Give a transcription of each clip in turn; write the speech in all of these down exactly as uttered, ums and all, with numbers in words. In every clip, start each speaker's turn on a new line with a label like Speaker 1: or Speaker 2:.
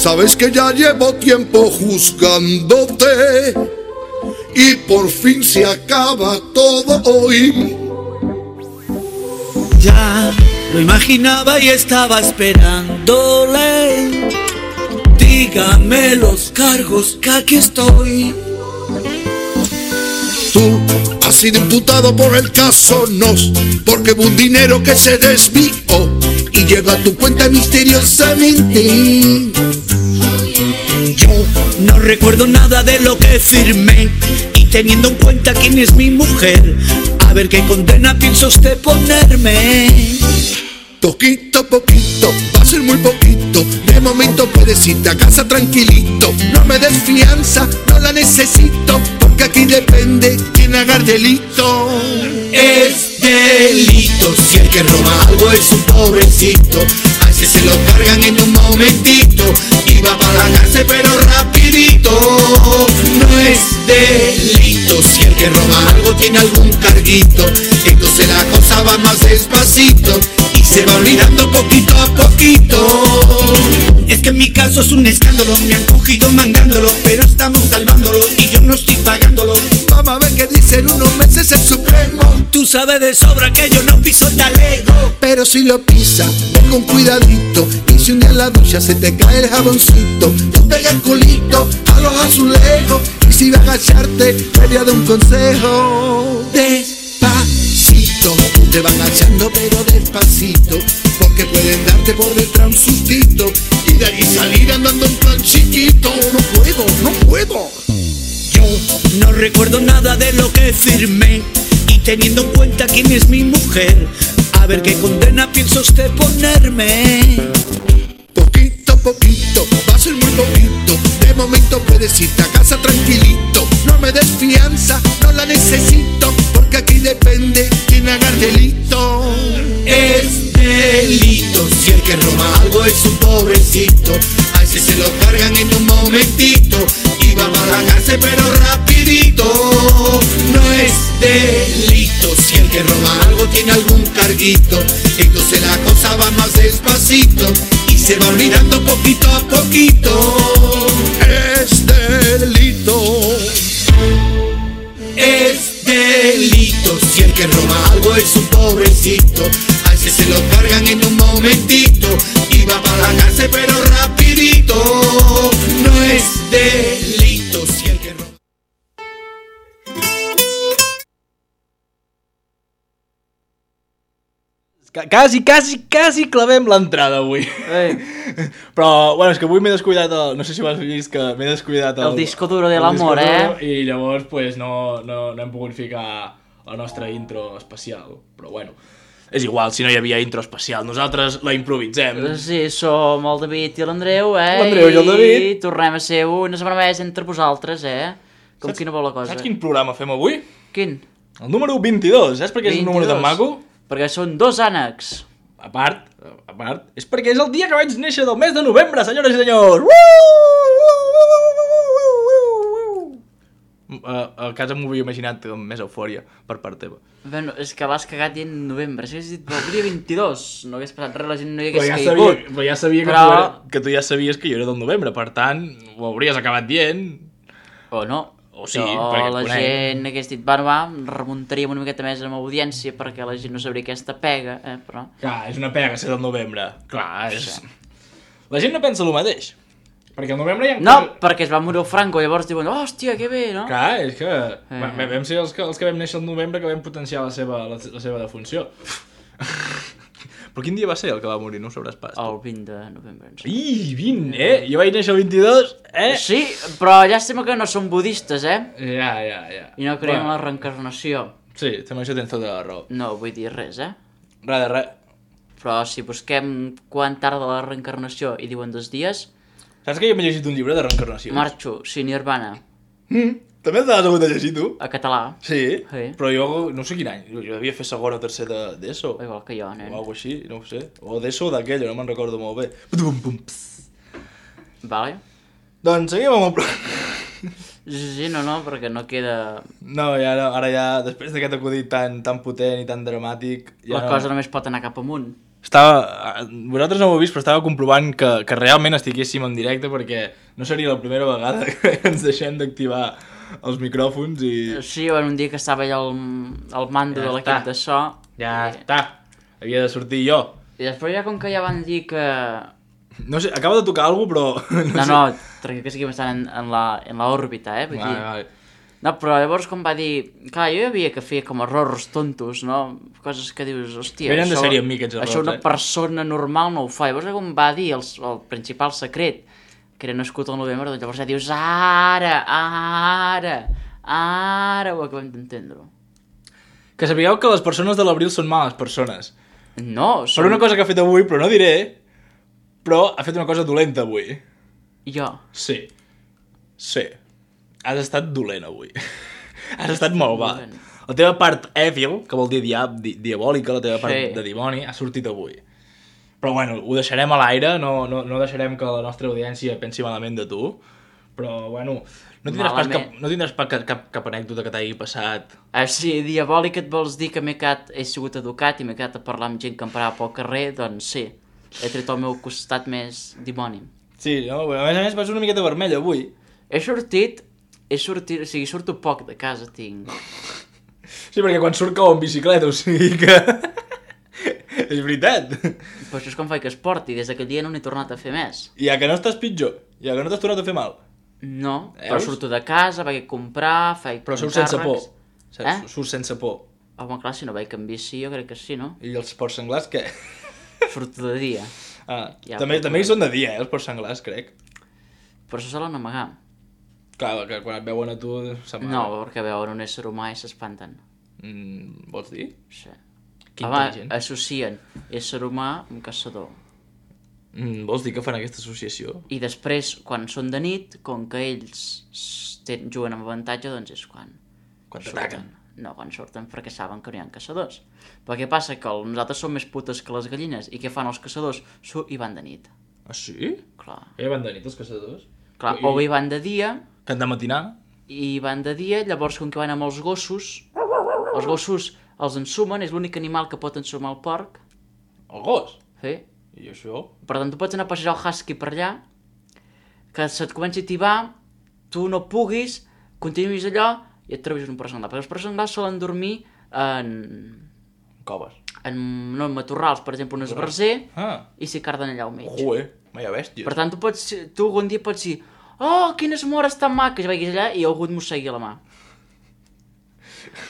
Speaker 1: Sabes que ya llevo tiempo juzgándote y por fin se acaba todo hoy.
Speaker 2: Ya lo imaginaba y estaba esperándole. Dígame los cargos que aquí estoy.
Speaker 1: Tú has sido imputado por el caso Nos, porque hubo un dinero que se desvió y llegó a tu cuenta misteriosamente.
Speaker 2: Yo no recuerdo nada de lo que firmé, y teniendo en cuenta quién es mi mujer, a ver qué condena piensa usted ponerme.
Speaker 1: Poquito, poquito, va a ser muy poquito. De momento puedes irte a casa tranquilito. No me des fianza, no la necesito, porque aquí depende quién haga el delito.
Speaker 2: Es delito si el que roba algo es un pobrecito. A ese se lo cargan en un momentito y va para la cárcel pero rapidito. No es delito si el que roba algo tiene algún carguito. Entonces la cosa va más despacito y se va olvidando poquito a poquito. Es que en mi caso es un escándalo, me han cogido mangándolo, pero estamos salvándolo y yo no estoy pagándolo.
Speaker 1: Vamos a ver qué dicen unos meses el Supremo.
Speaker 2: Tú sabes de sobra que yo no piso talego,
Speaker 1: pero si lo pisa, ven con cuidadito. Y si un día en la ducha se te cae el jaboncito, tú pega el culito a los azulejos. Y si vas a agacharte, te voy a dar un consejo. Despacito, te van agachando pero despacito, porque pueden darte por detrás un sustito y de ahí salir andando en plan chiquito. No puedo, no puedo.
Speaker 2: Yo no recuerdo nada de lo que firmé, y teniendo en cuenta quién es mi mujer, a ver qué condena piensa usted ponerme.
Speaker 1: Poquito, poquito, va a ser muy poquito. De momento puedes irte a casa tranquilito. No me des fianza, no la necesito, porque aquí depende quién haga el delito.
Speaker 2: Es delito si el que roba algo es un pobrecito. A ese se lo cargan en un momentito y va para la cárcel pero rapidito. No es delito si el que roba algo tiene algún carguito. Entonces la cosa va más despacito y se va olvidando poquito a poquito.
Speaker 1: Es delito.
Speaker 2: Es delito si el que roba algo es un pobrecito. A ese se lo cargan en un momentito y va para la cárcel pero rapidito. No es delito si el que roba.
Speaker 3: Quasi, quasi, quasi clavem l'entrada avui.
Speaker 4: Ei.
Speaker 3: Però, bueno, és que avui m'he descuidat el... No sé si ho has vist, que m'he descuidat el...
Speaker 4: El disco duro de l'amor, eh?
Speaker 3: I llavors, pues, no, no, no hem pogut ficar la nostra intro especial. Però, bueno, és igual, si no hi havia intro especial. Nosaltres la improvisem.
Speaker 4: Sí, som el David i l'Andreu, eh?
Speaker 3: L'Andreu i el David.
Speaker 4: I tornem a ser una setmana més entre vosaltres, eh? Com
Speaker 3: Saps,
Speaker 4: quina bona cosa.
Speaker 3: Saps quin programa fem avui?
Speaker 4: Quin?
Speaker 3: El número vint-i-dos. Saps per què és un número tan maco?
Speaker 4: Perquè són dos ànecs.
Speaker 3: A part, a part, és perquè és el dia que vaig néixer del mes de novembre, senyores i senyors! Uh, a casa m'ho havia imaginat amb més eufòria per part teva.
Speaker 4: Bueno, és que l'has cagat dient novembre. Si hagués dit el dia vint-i-dos, no hagués passat res, la gent no hi hagués
Speaker 3: ja
Speaker 4: caigut.
Speaker 3: sabia, però ja sabia
Speaker 4: però...
Speaker 3: que, tu era, que tu ja sabies que jo era del novembre, per tant, ho hauries acabat dient.
Speaker 4: O no.
Speaker 3: O sí,
Speaker 4: però
Speaker 3: perquè
Speaker 4: la
Speaker 3: et conec.
Speaker 4: gent hagués dit, bueno, va, remuntaríem una miqueta més amb audiència perquè la gent no sabria aquesta pega, eh, però...
Speaker 3: Clar, és una pega ser del novembre. Clar, és... La gent no pensa el mateix. Perquè al novembre hi ha...
Speaker 4: No, perquè es va morir el Franco, llavors diuen, oh, hòstia, que bé, no?
Speaker 3: Clar, és que...
Speaker 4: Eh.
Speaker 3: Va, vam ser els que, els que vam néixer al novembre que vam potenciar la seva, la, la seva defunció. Però quin dia va ser el que va morir? No ho sabràs pas.
Speaker 4: El vint de novembre. Sí.
Speaker 3: Ih, vint, eh? Jo vaig néixer el vint-i-dos, eh?
Speaker 4: Sí, però llàstima que no som budistes, eh?
Speaker 3: Ja, ja, ja.
Speaker 4: I no creiem en
Speaker 3: Bueno,
Speaker 4: la reencarnació.
Speaker 3: sí, amb això tens tota la raó.
Speaker 4: No vull dir res, eh?
Speaker 3: Res de res.
Speaker 4: Però si busquem quan tarda la reencarnació i diuen dos dies,
Speaker 3: Saps que jo m'he llegit un llibre de reencarnació?
Speaker 4: marxo, sí, Nirvana,
Speaker 3: Mm. També te l'has hagut de llegir, tu?
Speaker 4: a català.
Speaker 3: Sí,
Speaker 4: Sí.
Speaker 3: però jo no sé quin any. Jo devia fer segon o tercer de- d'ESO.
Speaker 4: Igual que jo, nen.
Speaker 3: O alguna així, no ho sé. O d'ESO o d'aquella, no me'n recordo molt bé. Pum, pum, pss.
Speaker 4: Vale?
Speaker 3: Doncs seguim amb el programa.
Speaker 4: Sí, sí, no, no, perquè no queda...
Speaker 3: No, ja no, ara ja, després d'aquest acudit tan, tan potent i tan dramàtic... Ja
Speaker 4: La
Speaker 3: no...
Speaker 4: cosa només pot anar cap amunt.
Speaker 3: estava... Vosaltres no ho heu vist, però estava comprovant que, que realment estiguéssim en directe perquè no seria la primera vegada que ens deixem d'activar els micròfons i...
Speaker 4: Sí, bueno, un dia que estava allà al, al mando
Speaker 3: Ja
Speaker 4: de l'equip
Speaker 3: està.
Speaker 4: de so.
Speaker 3: Ja
Speaker 4: i...
Speaker 3: està, havia de sortir jo.
Speaker 4: I després ja com que ja van dir que...
Speaker 3: No sé, acaba de tocar alguna cosa, però...
Speaker 4: No, no, no perquè que seguim estant en, en, la, en la òrbita, eh? Vull
Speaker 3: Vale,
Speaker 4: dir...
Speaker 3: vale.
Speaker 4: No, però llavors com va dir... Clar, jo hi havia que fer com errors tontos, no? Coses que dius, hòstia...
Speaker 3: Venen de
Speaker 4: això-
Speaker 3: sèrie amb mi, aquests errors,
Speaker 4: Això una
Speaker 3: eh?
Speaker 4: persona normal no ho fa. Llavors com va dir el, el principal secret, que era nascut al novembre, doncs llavors ja dius, ara, ara, ara ho acabem d'entendre.
Speaker 3: Que sapigueu que les persones de l'abril són males persones.
Speaker 4: No,
Speaker 3: Per
Speaker 4: som...
Speaker 3: una cosa que ha fet avui, però no diré, però ha fet una cosa dolenta avui.
Speaker 4: Jo.
Speaker 3: Sí. Sí. Has estat dolent avui. Has estat malvat.
Speaker 4: dolent.
Speaker 3: La teva part evil, que vol dir dia, di, diabòlica, la teva part
Speaker 4: Sí.
Speaker 3: de dimoni, ha sortit avui. Però bueno, ho deixarem a l'aire, no, no, no deixarem que la nostra audiència pensi malament de tu. Però bueno, no tindràs pas cap,
Speaker 4: Malament.
Speaker 3: no tindràs pas cap, cap, cap anècdota que t'hagi passat.
Speaker 4: Ah, sí, diabòlic et vols dir que m'he quedat, he sigut educat i m'he quedat a parlar amb gent que em parava pel carrer? Doncs sí, he tret el meu costat més dimoni.
Speaker 3: Sí, no? A més a més vas una miqueta vermella avui.
Speaker 4: He sortit, he sortit, o sigui, surto poc de casa, tinc.
Speaker 3: Sí, perquè quan surt cau en bicicleta, o sigui que... És veritat.
Speaker 4: Però això és com faig esport i des d'aquell dia no n'he tornat a fer més.
Speaker 3: Ja que no estàs pitjor, ja que no t'has tornat a fer mal.
Speaker 4: No, però
Speaker 3: Veus?
Speaker 4: surto de casa, vaig a comprar, faig
Speaker 3: Però surts sense por.
Speaker 4: encàrrecs.
Speaker 3: Saps?
Speaker 4: Eh?
Speaker 3: Surts sense por.
Speaker 4: Home, clar, si no vaig amb bici, jo crec que sí, no?
Speaker 3: I els porcs senglars, què?
Speaker 4: Surto de dia.
Speaker 3: Ah,
Speaker 4: Ja,
Speaker 3: també,
Speaker 4: però-
Speaker 3: també hi són de dia, eh, els porcs senglars, crec.
Speaker 4: Però això solen amagar.
Speaker 3: Clar, que quan et veuen a tu s'amaga.
Speaker 4: No, perquè veuen un ésser humà i s'espanten.
Speaker 3: Mm, vols dir?
Speaker 4: Sí.
Speaker 3: Que
Speaker 4: Home,
Speaker 3: intel·ligent.
Speaker 4: associen ésser humà amb caçador.
Speaker 3: Mm, vols dir que fan aquesta associació?
Speaker 4: I després, quan són de nit, com que ells s- ten, juguen amb avantatge, doncs és quan...
Speaker 3: Quan
Speaker 4: surten.
Speaker 3: t'ataquen.
Speaker 4: No, quan surten perquè saben que no hi ha caçadors. Però què passa? Que el, nosaltres som més putes que les gallines. I què fan els caçadors? Su I van de nit.
Speaker 3: Ah, sí?
Speaker 4: Clar.
Speaker 3: Ja van de nit els caçadors?
Speaker 4: Clar,
Speaker 3: I-
Speaker 4: o bé van de dia,
Speaker 3: Que han de matinar?
Speaker 4: i van de dia, llavors com que van amb els gossos, els gossos els ensumen, és l'únic animal que pot ensumar el porc.
Speaker 3: El gos?
Speaker 4: Sí.
Speaker 3: I això?
Speaker 4: Per tant, tu pots anar a passejar el husky per allà, que se't comenci a tibar, tu no puguis, continuïs allò i et trobis un porc senglar. Perquè els porcs senglars solen dormir en,
Speaker 3: Coves.
Speaker 4: en, no, en matorrals, per exemple, un esbarzer,
Speaker 3: Ah,
Speaker 4: i s'hi carden allà al mig.
Speaker 3: joder, vaya bèsties.
Speaker 4: Per tant, tu, pots, tu algun dia pots dir oh, quines mores tan maques, i vagis allà i algú et mossegui la mà.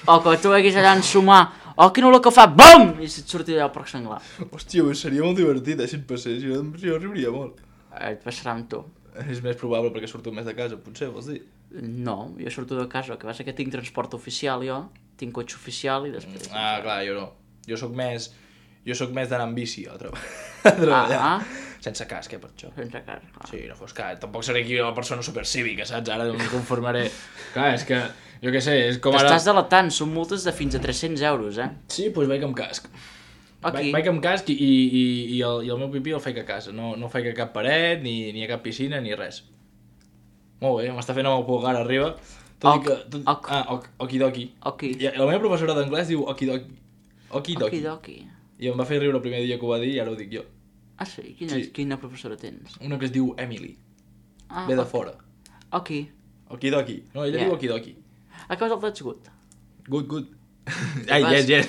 Speaker 4: O que tu vagis allà a ensumar, oh, quina olor que fa, BUM! I se't surti allà el porc senglar.
Speaker 3: Hòstia, seria molt divertit, eh, si et passés. Jo, jo riuria molt.
Speaker 4: Et passarà amb tu.
Speaker 3: És més probable perquè surto més de casa, potser, vols dir?
Speaker 4: No, jo surto de casa, el que passa que tinc transport oficial jo, tinc cotxe oficial i després...
Speaker 3: Ah, clar, jo no. Jo sóc més... Jo sóc més d'anar amb bici a, treba... a treballar.
Speaker 4: Ah,
Speaker 3: Sense casc, eh, per això.
Speaker 4: sense cas, clar.
Speaker 3: Sí, no fos cas. Tampoc seré aquí una persona supercívica, saps? Ara no em conformaré. Clar, és que... Jo què sé, és com ara...
Speaker 4: T'estàs delatant, són multes de fins a tres-cents euros, eh?
Speaker 3: Sí, doncs vaig amb casc.
Speaker 4: Aquí.
Speaker 3: Vaig, vaig amb casc i, i, i, el, i el meu pipí el faig a casa. No, no faig a cap paret, ni, ni a cap piscina, ni res. Molt bé, m'està fent amb el pulgar arriba. Tot
Speaker 4: Ok,
Speaker 3: i que... Tot...
Speaker 4: ok.
Speaker 3: Ah, ok, okidoki.
Speaker 4: Ok.
Speaker 3: I la meva professora d'anglès diu okidoki. Okidoki.
Speaker 4: Okidoki.
Speaker 3: I em va fer riure el primer dia que ho va dir i ara ho dic jo.
Speaker 4: Ah, sí? Quina,
Speaker 3: Sí.
Speaker 4: quina professora tens?
Speaker 3: Una que es diu Emily.
Speaker 4: Ah,
Speaker 3: Ve de
Speaker 4: ok.
Speaker 3: fora.
Speaker 4: Ok.
Speaker 3: Okidoki. No, ella
Speaker 4: Yeah.
Speaker 3: diu okidoki.
Speaker 4: A causa del That's Good.
Speaker 3: Good, good. Ai,
Speaker 4: vas?
Speaker 3: yes, yes.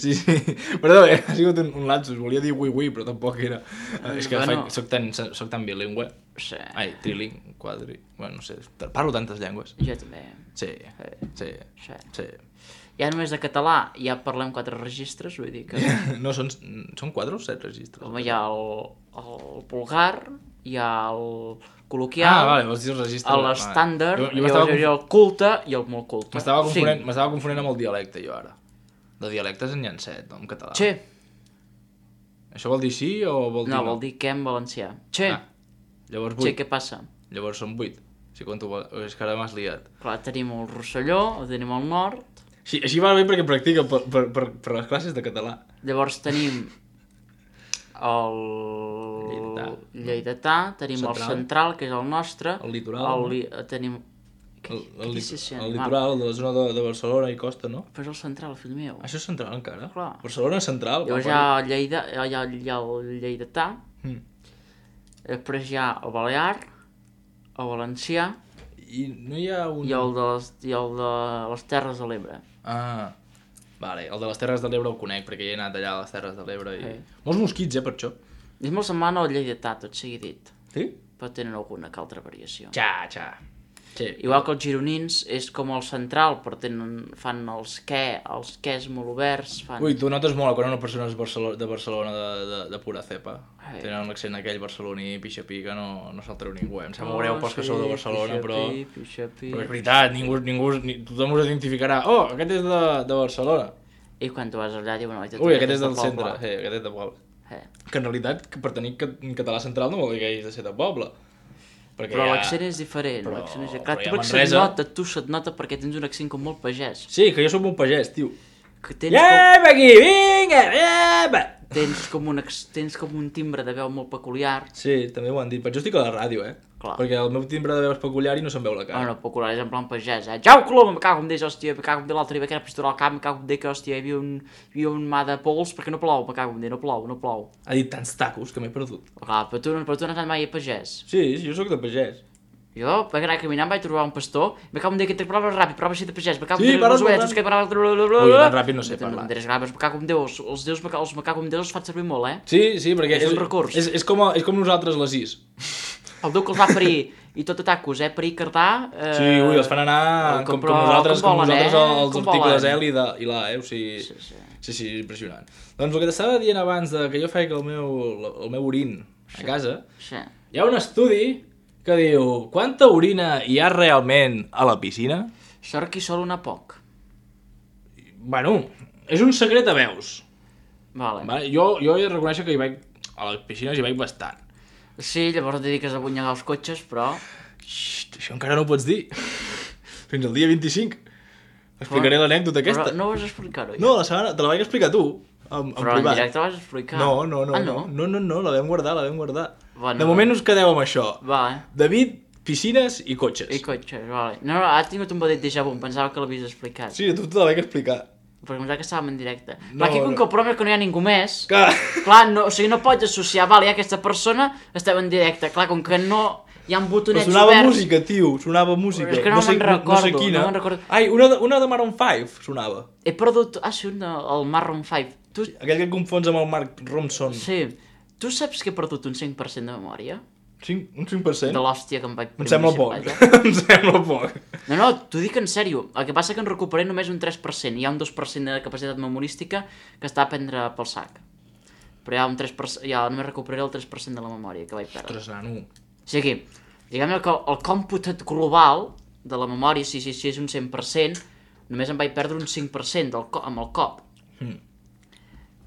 Speaker 3: Sí, sí. Perdó, eh? Ha sigut un, un lapsus. Volia dir oui, oui, però tampoc era... Eh, és que
Speaker 4: Bueno.
Speaker 3: faig, soc, tan, soc tan bilingüe.
Speaker 4: Sí.
Speaker 3: Ai, triling, quadri... Bueno, no sé, parlo tantes llengües.
Speaker 4: Jo també.
Speaker 3: Sí, sí,
Speaker 4: Sí.
Speaker 3: sí.
Speaker 4: Ja només de català ja parlem quatre registres, vull dir que...
Speaker 3: No, són, són quatre o set registres?
Speaker 4: Home, hi ha el, el vulgar, hi ha el col·loquial,
Speaker 3: Ah, vale, vols dir els registres.
Speaker 4: l'estàndard,
Speaker 3: Jo, jo
Speaker 4: llavors
Speaker 3: m'estava
Speaker 4: hi hauria
Speaker 3: conf...
Speaker 4: el culte i el molt culte.
Speaker 3: m'estava confonent,
Speaker 4: Cinc.
Speaker 3: m'estava confonent amb el dialecte, jo, ara. De dialectes en hi ha set, no? En català.
Speaker 4: Che,
Speaker 3: Això vol dir sí o vol dir
Speaker 4: no,
Speaker 3: no?
Speaker 4: vol dir què en valencià. Che,
Speaker 3: Ah, llavors
Speaker 4: che,
Speaker 3: vuit.
Speaker 4: què passa?
Speaker 3: Llavors són vuit. Si compto... És que ara m'has liat.
Speaker 4: Clar, tenim el Rosselló, el tenim el Nord,
Speaker 3: Així, així va bé perquè practica per, per, per, per les classes de català.
Speaker 4: llavors tenim el
Speaker 3: Lleidatà.
Speaker 4: Lleidatà, tenim
Speaker 3: Central.
Speaker 4: el Central, que és el nostre,
Speaker 3: El litoral,
Speaker 4: el
Speaker 3: no?
Speaker 4: li... tenim...
Speaker 3: El, el,
Speaker 4: Què dices,
Speaker 3: el
Speaker 4: animal?
Speaker 3: litoral de la zona de, de Barcelona i Costa, no?
Speaker 4: Però és el central, fill meu.
Speaker 3: Això és central encara?
Speaker 4: Clar.
Speaker 3: Barcelona és central.
Speaker 4: Llavors hi ha Lleida, hi ha, hi ha, hi ha el lleidatà,
Speaker 3: Mm.
Speaker 4: després hi ha el balear, el valencià
Speaker 3: I no hi ha un...
Speaker 4: i el de les, i el de les Terres de l'Ebre.
Speaker 3: Ah, vale, el de les Terres de l'Ebre el conec, perquè hi he anat allà a les Terres de l'Ebre i...
Speaker 4: Sí.
Speaker 3: Molts mosquits, eh, per això.
Speaker 4: És molt semblant al lleidatà, tot sigui dit,
Speaker 3: Sí?
Speaker 4: però tenen alguna que altra variació.
Speaker 3: Xa, xa. Sí.
Speaker 4: Igual que els gironins és com el central, però tenen, fan els què, els quès molt oberts, fan...
Speaker 3: Ui, tu notes molt quan una persona és Barcelona, de Barcelona de, de, de pura cepa.
Speaker 4: Ai.
Speaker 3: Tenen l'accent aquell barceloní, pixapí, que no, no se'l treu ningú. Em sembla
Speaker 4: Oh,
Speaker 3: greu pels que sou de Barcelona,
Speaker 4: pixapí,
Speaker 3: però...
Speaker 4: pixapí.
Speaker 3: Però és veritat, ningú, ningú, ni, tothom us identificarà. Oh, aquest és de, de Barcelona.
Speaker 4: I quan tu vas allà diuen... "Oi, tu
Speaker 3: Ui, aquest
Speaker 4: ets
Speaker 3: és
Speaker 4: de
Speaker 3: del
Speaker 4: poble."
Speaker 3: centre. Sí, aquest és de poble.
Speaker 4: Eh.
Speaker 3: Que en realitat, que per tenir ca- català central no vol dir que hagis de ser de poble. Perquè
Speaker 4: Però
Speaker 3: hi ha-
Speaker 4: l'accent és diferent.
Speaker 3: Però-
Speaker 4: l'accent és...
Speaker 3: però
Speaker 4: Clar,
Speaker 3: hi
Speaker 4: tu
Speaker 3: ha
Speaker 4: perquè se't
Speaker 3: Manresa.
Speaker 4: nota, tu se't nota perquè tens un accent com molt pagès.
Speaker 3: Sí, que jo sóc un pagès, tio.
Speaker 4: Que tens, com,
Speaker 3: Lleva aquí, vinga, lleva!
Speaker 4: tens, com un, ex- tens com un timbre de veu molt peculiar.
Speaker 3: Sí, també ho han dit. Però jo estic a la ràdio, eh?
Speaker 4: Clar.
Speaker 3: Perquè el meu timbre de veu és peculiar i no se'm veu la cara.
Speaker 4: Ah, no, peculiar, és en plan pagès, eh? Jau, colom, me cago en Déu, hòstia, me cago en Déu, l'altre dia vaig anar a pistolar al camp, me cago en Déu, que, hòstia, hi havia un, hi havia un mà de pols perquè no plou, me cago en Déu, no plou, no plou.
Speaker 3: Ha dit tants tacos que m'he perdut.
Speaker 4: Clar, però tu, no- però tu no has anat mai a pagès.
Speaker 3: Sí, sí, jo sóc de pagès.
Speaker 4: Jo vaig anar caminant, vaig trobar un pastor, me cago en Déu, que te parlaves ràpid, parlaves així de pagès, me cago en
Speaker 3: Sí,
Speaker 4: Déu,
Speaker 3: parles
Speaker 4: les
Speaker 3: molt
Speaker 4: ovetes,
Speaker 3: ràpid.
Speaker 4: que parlaves...
Speaker 3: Ui, tan ràpid no sé parlar.
Speaker 4: Me cago en Déu, els, els déus, me cago- els me cago en Déu els faig servir molt, eh?
Speaker 3: Sí, sí, perquè
Speaker 4: És un recurs.
Speaker 3: És, és, com, a- és com nosaltres les sis.
Speaker 4: El Déu que els va parir, i tot a tacos, eh? Parir Cardà... Eh...
Speaker 3: Sí, ui, els fan anar com, com,
Speaker 4: però
Speaker 3: nosaltres, com,
Speaker 4: com volen,
Speaker 3: nosaltres
Speaker 4: eh?
Speaker 3: els
Speaker 4: Com
Speaker 3: articles
Speaker 4: volen.
Speaker 3: L i, de, i la, eh? O sigui,
Speaker 4: Sí, sí.
Speaker 3: sí, sí, impressionant. Doncs el que t'estava dient abans de que jo feia el meu, el meu orin a casa,
Speaker 4: Sí.
Speaker 3: hi ha un estudi que diu quanta orina hi ha realment a la piscina?
Speaker 4: Sort que hi sol anar poc.
Speaker 3: Bueno, és un secret a veus.
Speaker 4: Vale.
Speaker 3: Vale? Jo, jo he de reconèixer que hi vaig, a les piscines hi vaig bastant.
Speaker 4: Sí, llavors et dediques a bunyegar els cotxes, però...
Speaker 3: Xxt, això encara no ho pots dir. Fins al dia vint-i-cinc. Explicaré l'anècdota aquesta.
Speaker 4: Però no vas explicar-ho, ja.
Speaker 3: No, la setmana, te la vaig explicar tu, en, en
Speaker 4: Però en
Speaker 3: privat.
Speaker 4: directe vas explicar.
Speaker 3: No, no, no,
Speaker 4: Ah,
Speaker 3: no,
Speaker 4: no?
Speaker 3: no, no, no, la vam guardar, la vam guardar.
Speaker 4: Bueno,
Speaker 3: de moment us quedeu amb això.
Speaker 4: Va, eh?
Speaker 3: David, piscines i cotxes.
Speaker 4: I cotxes, vale. No, no, ha tingut un petit déjà vu, em pensava que l'havies explicat.
Speaker 3: Sí, a tu te la vaig explicar.
Speaker 4: Perquè em pensava que estàvem en directe.
Speaker 3: No,
Speaker 4: Clar, aquí com
Speaker 3: no.
Speaker 4: que el problema és que no hi ha ningú més...
Speaker 3: Clar.
Speaker 4: Clar, no, o sigui, no pots associar, vale, ja aquesta persona estava en directe. Clar, com que no hi ha un
Speaker 3: Però
Speaker 4: botonets
Speaker 3: sonava
Speaker 4: oberts...
Speaker 3: música, tio, sonava música.
Speaker 4: És que no
Speaker 3: sé,
Speaker 4: me'n
Speaker 3: no, no sé
Speaker 4: recordo,
Speaker 3: quina.
Speaker 4: no me'n recordo.
Speaker 3: Ai, una de, una de Maroon cinc sonava.
Speaker 4: He perdut... Ah, sí, un de, el Maroon cinc. Tu...
Speaker 3: Aquell que et confons amb el Mark Ronson.
Speaker 4: Sí. Tu saps que he perdut un cinc per cent de memòria?
Speaker 3: cinc, un cinc per cent?
Speaker 4: De l'hòstia que em vaig...
Speaker 3: Em sembla poc.
Speaker 4: bicicleta.
Speaker 3: em sembla poc.
Speaker 4: No, no, t'ho dic en sèrio. El que passa que en recuperé només un tres per cent. Hi ha un dos per cent de capacitat memorística que està a prendre pel sac. Però hi ha un tres per cent... Ja només recuperaré el tres per cent de la memòria que vaig perdre.
Speaker 3: Ostres, nano.
Speaker 4: O sigui, diguem que el còmput global de la memòria, si, si, si és un cent per cent, només em vaig perdre un cinc per cent del co amb el cop.
Speaker 3: Mm.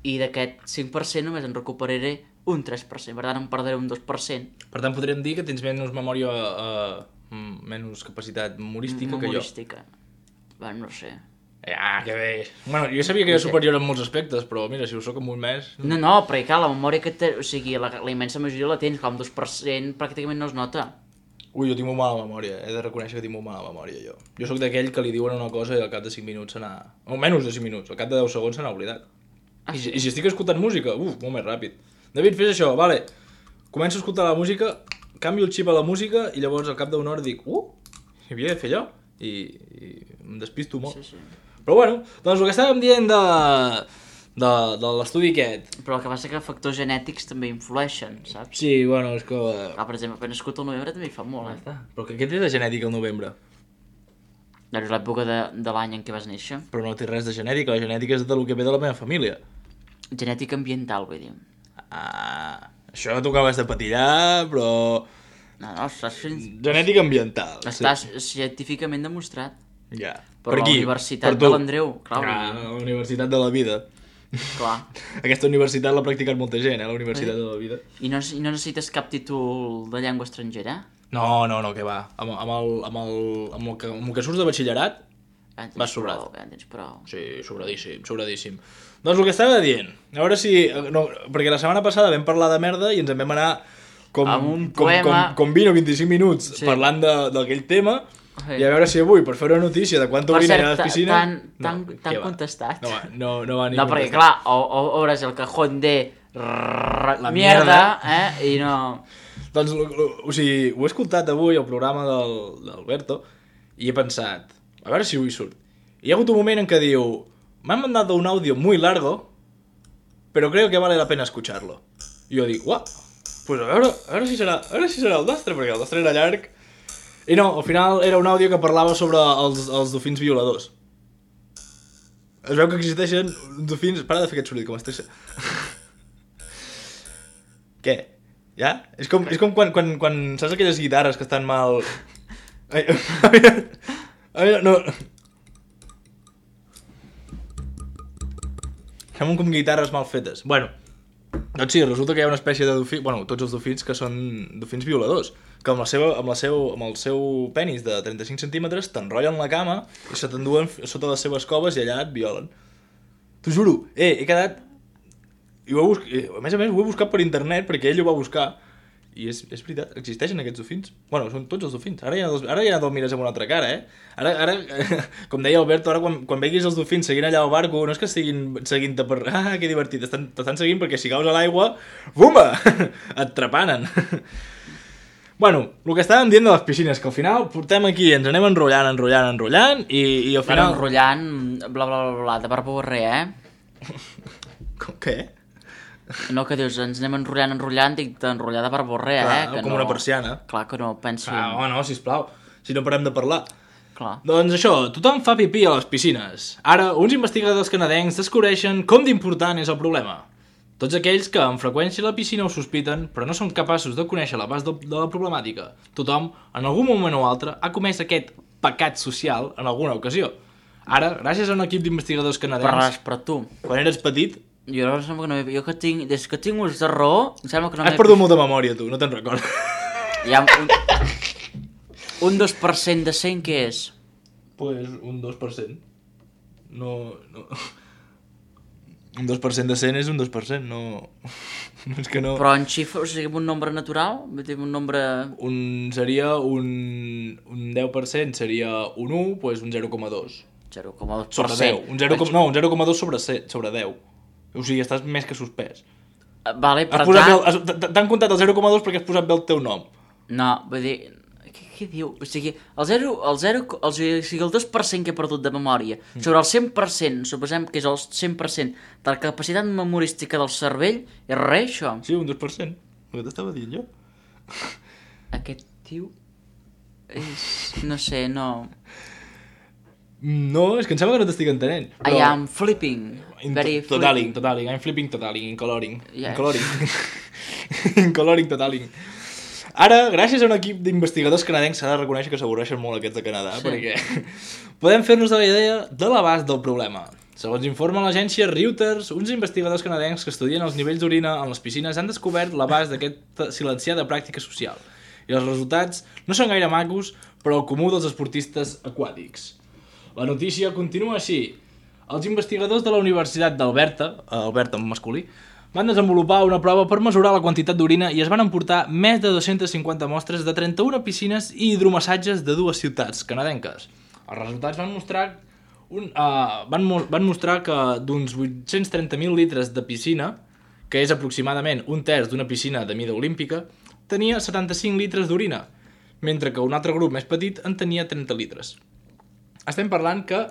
Speaker 4: I d'aquest cinc per cent només en recuperaré un tres per cent. Per tant, em perdré un dos per cent.
Speaker 3: Per tant, podríem dir que tens menys memòria, uh, menys capacitat humorística que jo.
Speaker 4: Memorística. Bueno, no sé.
Speaker 3: Ah, que bé. Bueno, jo sabia que era superior en molts aspectes, però mira, si ho soc en un mes...
Speaker 4: No, no, perquè clar, la memòria que té... O sigui, la, la immensa majoria la tens, com dos per cent pràcticament no es nota.
Speaker 3: Ui, jo tinc molt mala memòria, he de reconèixer que tinc molt mala memòria, jo. Jo sóc d'aquell que li diuen una cosa i al cap de cinc minuts se n'ha... O menys de cinc minuts, al cap de deu segons se n'ha oblidat.
Speaker 4: Ah,
Speaker 3: I,
Speaker 4: sí?
Speaker 3: si- I si estic escoltant música, uf, molt més ràpid. David, fes això, vale. Començo a escoltar la música, canvio el xip a la música i llavors al cap d'una hora dic, uh, hi havia de fer allò. I, i em despisto molt.
Speaker 4: Sí, sí.
Speaker 3: Però bueno, doncs el que estàvem dient de, de, de l'estudi aquest.
Speaker 4: Però el que passa que factors genètics també influeixen, saps?
Speaker 3: Sí, bueno, és que...
Speaker 4: Ah, per exemple, quan nascut al novembre també hi fa molt, eh?
Speaker 3: Però que què té de genètica al novembre?
Speaker 4: Doncs l'època de, de l'any en què vas néixer.
Speaker 3: Però no té res de genètica, la genètica és del que ve de la meva família.
Speaker 4: Genètica ambiental, vull dir.
Speaker 3: Ah, això tu acabes de patillar, però...
Speaker 4: No, no, estàs,
Speaker 3: Genètica ambiental.
Speaker 4: estàs científicament demostrat.
Speaker 3: Ja.
Speaker 4: Per, la
Speaker 3: qui?
Speaker 4: Universitat
Speaker 3: Per tu.
Speaker 4: de l'Andreu, clar.
Speaker 3: Ah,
Speaker 4: vull dir,
Speaker 3: la Universitat de la Vida.
Speaker 4: clar.
Speaker 3: Aquesta universitat l'ha practicat molta gent, eh, la Universitat de la Vida.
Speaker 4: I no, I no necessites cap títol de llengua estrangera?
Speaker 3: No, no, no, que va. Amb, amb, el, amb, el, amb, el que, amb el que surts de batxillerat,
Speaker 4: Ja en tens
Speaker 3: vas sobrat.
Speaker 4: prou, ja en tens prou.
Speaker 3: sí, sobradíssim, sobradíssim. Doncs el que estava dient, a veure si... No, perquè la setmana passada vam parlar de merda i ens en vam anar com,
Speaker 4: Amb un
Speaker 3: com, com,
Speaker 4: poema.
Speaker 3: com vint o vint-i-cinc minuts
Speaker 4: Sí.
Speaker 3: parlant de- d'aquell tema Sí. I a veure si avui, per fer una notícia de quanta orina hi ha a les piscines...
Speaker 4: T'han no, contestat?
Speaker 3: No, no, no va ni
Speaker 4: no, perquè clar, o, o, obres el cajón de... La mierda, eh? I no...
Speaker 3: Doncs, o sigui, ho he escoltat avui al programa del, d'Alberto i he pensat, a veure si avui surt. I hi ha hagut un moment en què diu, m'han mandado un audio muy largo, pero creo que vale la pena escucharlo. I jo dic, uah, pues a veure, a veure si serà, a veure si serà el nostre, perquè el nostre era llarg. I no, al final era un àudio que parlava sobre els, els dofins violadors. Es veu que existeixen dofins... Para de fer aquest soroll, com estic... Què? Ja? És com, és com quan, quan, quan saps aquelles guitarres que estan mal... Ai, a veure, a veure, no... Semblen com guitarres mal fetes. Bueno, doncs sí, resulta que hi ha una espècie de dofí... Bueno, tots els dofins que són dofins violadors, que amb, la seva, amb, la seu, amb el seu penis de trenta-cinc centímetres t'enrotllen la cama i se t'enduen sota les seves coves i allà et violen. T'ho juro, eh, he quedat... I ho he buscat, a més a més ho he buscat per internet perquè ell ho va buscar i és, és veritat, existeixen aquests dofins. Bueno, són tots els dofins. Ara ja no, ara ja no el mires amb una altra cara, eh? Ara, ara com deia Alberto, ara quan, quan veguis els dofins seguint allà al barco, no és que estiguin seguint-te per... Ah, que divertit, t'estan seguint perquè si caus a l'aigua, bumba! Et trepanen. Bueno, el que estàvem dient de les piscines, que al final portem aquí, ens anem enrotllant, enrotllant, enrotllant, i, i al final...
Speaker 4: Bueno, enrotllant, bla, bla, bla, bla, de barba o res, eh?
Speaker 3: Com, què?
Speaker 4: No, que dius, ens anem enrotllant, enrotllant, dic d'enrotllar de barborrer, eh?
Speaker 3: Que com
Speaker 4: no...
Speaker 3: una persiana.
Speaker 4: Clar que no, penso...
Speaker 3: Ah, oh, no, sisplau, si no parem de parlar.
Speaker 4: Clar.
Speaker 3: Doncs això, tothom fa pipí a les piscines. Ara, uns investigadors canadencs descobreixen com d'important és el problema. Tots aquells que amb freqüència a la piscina ho sospiten, però no són capaços de conèixer l'abast de, de la problemàtica. Tothom, en algun moment o altre, ha comès aquest pecat social en alguna ocasió. Ara, gràcies a un equip d'investigadors canadencs...
Speaker 4: Parlaràs per tu.
Speaker 3: Quan eres petit...
Speaker 4: Jo no sembla que no... Jo que tinc... Des que tinc ús de raó, em sembla que no...
Speaker 3: Has perdut molta memòria, tu, no te'n recordes.
Speaker 4: Hi ha un... Un dos per cent de cent, què és?
Speaker 3: Pues un dos per cent. No... no... Un dos per cent de cent és un dos per cent, no... no és que no...
Speaker 4: Però en xifra, o sigui, un nombre natural? Un nombre...
Speaker 3: Un... Seria un... Un deu per cent seria un u, pues un zero coma dos.
Speaker 4: zero coma dos per cent.
Speaker 3: Sobre deu. Un zero, no, un zero coma dos sobre, sobre deu. O sigui, estàs més que suspès.
Speaker 4: Vale, per
Speaker 3: tant... T'han comptat el zero coma dos perquè has posat bé el teu nom.
Speaker 4: No, vull dir... Què, què diu? O sigui, el zero... El zero el, o sigui, el dos per cent que he perdut de memòria, mm. sobre el cent per cent, suposem que és el cent per cent de la capacitat memorística del cervell, és res, això?
Speaker 3: Sí, un dos per cent. El que t'estava dient jo.
Speaker 4: Aquest tio... És... No sé, no...
Speaker 3: No, és que em sembla que no t'estic entenent.
Speaker 4: Però... I am flipping. Very
Speaker 3: totaling, flipping. Totaling. I'm flipping totaling, in coloring.
Speaker 4: Yes.
Speaker 3: In coloring. in coloring totaling. Ara, gràcies a un equip d'investigadors canadencs, s'ha de reconèixer que s'avorreixen molt aquests de Canadà, sí. Perquè podem fer-nos de la idea de l'abast del problema. Segons informa l'agència Reuters, uns investigadors canadencs que estudien els nivells d'orina en les piscines han descobert l'abast d'aquesta silenciada pràctica social. I els resultats no són gaire macos, però el comú dels esportistes aquàtics. La notícia continua així. Els investigadors de la Universitat d'Alberta, Alberta en masculí, van desenvolupar una prova per mesurar la quantitat d'orina i es van emportar més de dos-centes cinquanta mostres de trenta-una piscines i hidromassatges de dues ciutats canadenques. Els resultats van mostrar, un, uh, van, mo van mostrar que d'uns vuit-cents trenta mil litres de piscina, que és aproximadament un terç d'una piscina de mida olímpica, tenia setanta-cinc litres d'orina, mentre que un altre grup més petit en tenia trenta litres. Estem parlant que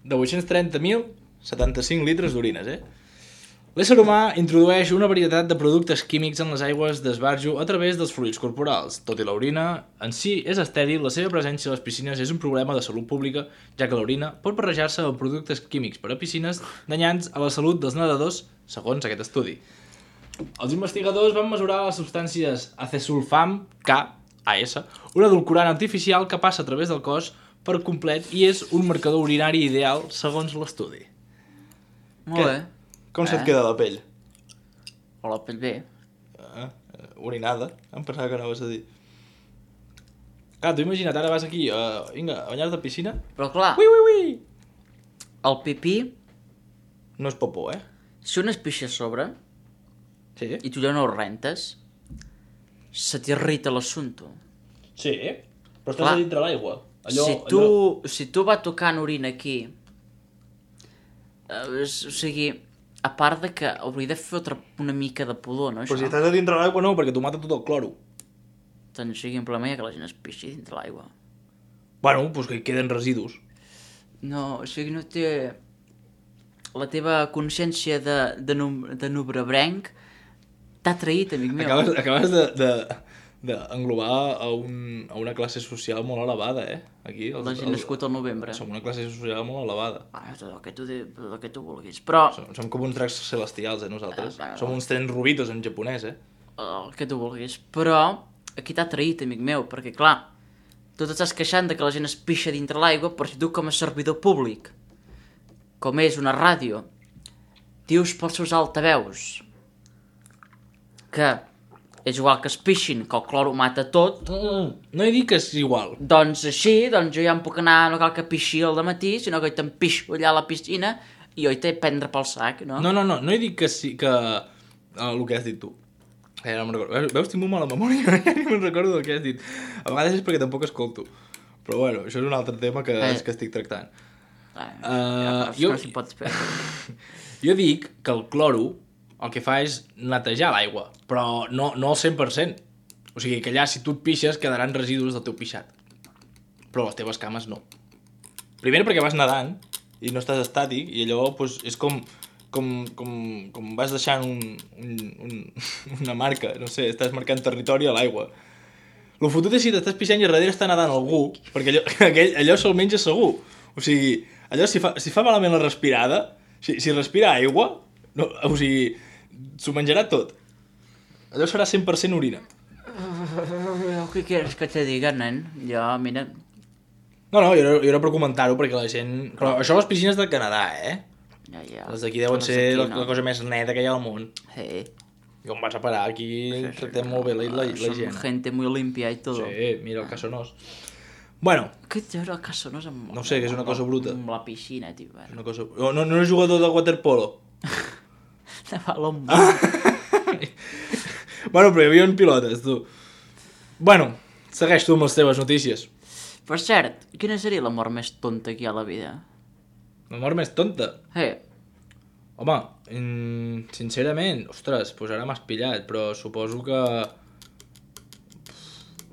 Speaker 3: de vuit-cents trenta mil, setanta-cinc litres d'orines, eh? L'ésser humà introdueix una varietat de productes químics en les aigües d'esbarjo a través dels fluids corporals. Tot i l'orina en si és estèril, la seva presència a les piscines és un problema de salut pública, ja que l'orina pot barrejar-se amb productes químics per a piscines danyants a la salut dels nedadors, segons aquest estudi. Els investigadors van mesurar les substàncies acesulfam K, A S, un edulcorant artificial que passa a través del cos per complet i és un marcador urinari ideal segons l'estudi.
Speaker 4: Molt bé.
Speaker 3: Com eh? se't queda la pell?
Speaker 4: O la pell bé.
Speaker 3: Ah, orinada. Em pensava que anaves a dir. Clar, t'ho imagina't, ara vas aquí, uh, vinga, a banyar-te a piscina.
Speaker 4: Però clar,
Speaker 3: ui, ui, ui.
Speaker 4: El pipí...
Speaker 3: No és popó, eh?
Speaker 4: Si un es pixa a sobre
Speaker 3: sí.
Speaker 4: I tu ja no ho rentes, se t'irrita l'assumpte.
Speaker 3: Sí, però estàs a dintre l'aigua. Allò,
Speaker 4: si, tu,
Speaker 3: allò...
Speaker 4: si tu va tocant orina aquí, eh, o sigui, a part de que hauria de fer otra, una mica de pudor, no, això?
Speaker 3: Però si estàs a dintre l'aigua no, perquè t'ho mata tot el cloro.
Speaker 4: Doncs simplement que la gent es pixi dintre l'aigua.
Speaker 3: Bueno, doncs que hi queden residus.
Speaker 4: No, o sigui, no té... La teva consciència de, de, num, de nubrebrenc t'ha traït, amic meu.
Speaker 3: Acabes, acabes de, de, d'englobar a, un, a una classe social molt elevada, eh? Aquí, els,
Speaker 4: La gent nascut al novembre.
Speaker 3: Som una classe social molt elevada.
Speaker 4: Ah, tot el que tu, de, el que tu vulguis. Però
Speaker 3: Som, som com uns dracs celestials, eh, nosaltres.
Speaker 4: Ah,
Speaker 3: Som uns tren rubitos en japonès, eh?
Speaker 4: el que tu vulguis. Però aquí t'ha traït, amic meu, perquè clar, tu t'estàs queixant de que la gent es pixa dintre l'aigua, però si tu com a servidor públic, com és una ràdio, dius pels seus altaveus que és igual que es pixin, que el clor ho mata tot,
Speaker 3: Mm, no he dit que és igual.
Speaker 4: doncs així, doncs jo ja em puc anar, no cal que pixi al matí, sinó que jo te'n pixo allà a la piscina i jo hi t'he prendre pel sac, no?
Speaker 3: No, no, no, no he dit que sí, que... Uh, el que has dit tu. Eh, no me'n recordo. Veus, veus, tinc molt mala memòria, ja ni me'n recordo del que has dit. A vegades és perquè tampoc escolto. Però bueno, això és un altre tema que,
Speaker 4: Eh.
Speaker 3: és que estic tractant.
Speaker 4: Ah,
Speaker 3: Uh,
Speaker 4: ja,
Speaker 3: jo-
Speaker 4: no s'hi pot fer.
Speaker 3: Jo dic que el cloro el que fa és netejar l'aigua, però no, no al cent per cent. O sigui, que allà si tu et pixes quedaran residus del teu pixat. Però les teves cames no. Primer perquè vas nedant i no estàs estàtic i allò doncs, és com, com, com, com vas deixant un, un, un, una marca, no sé, estàs marcant territori a l'aigua. El fotut és si t'estàs pixant i a darrere està nedant algú, perquè allò, aquell, allò se'l menja segur. O sigui, allò si fa, si fa malament la respirada, si, si respira aigua, no, o sigui, s'ho menjarà tot. Allò serà cent per cent orina.
Speaker 4: Què quieres que te diga, nen? Jo, mira...
Speaker 3: No, no, jo era, jo era per comentar-ho, perquè la gent... Però això a les piscines del Canadà, eh?
Speaker 4: Ja, ja.
Speaker 3: Les d'aquí deuen
Speaker 4: Les
Speaker 3: ser
Speaker 4: d'aquí
Speaker 3: la,
Speaker 4: no.
Speaker 3: la cosa més neta que hi ha al món.
Speaker 4: Sí.
Speaker 3: I on vas a parar? Aquí tractem molt bé la, la, la
Speaker 4: Son
Speaker 3: gent.
Speaker 4: gente muy limpia y todo.
Speaker 3: Sí, mira el Casonós. Bueno,
Speaker 4: Què té el Casonós amb...
Speaker 3: No sé, que és una cosa bruta.
Speaker 4: Amb la piscina, tio.
Speaker 3: és una cosa... No, no, no és jugador de waterpolo.
Speaker 4: De balón.
Speaker 3: Bueno, però hi havia pilotes, tu. Bueno, segueix tu amb les teves notícies.
Speaker 4: Per cert, quina seria la mort més tonta que hi ha a la vida?
Speaker 3: La mort més tonta.
Speaker 4: Eh,
Speaker 3: Home, mm, sincerament, ostres, doncs ara m'has pillat, però suposo que...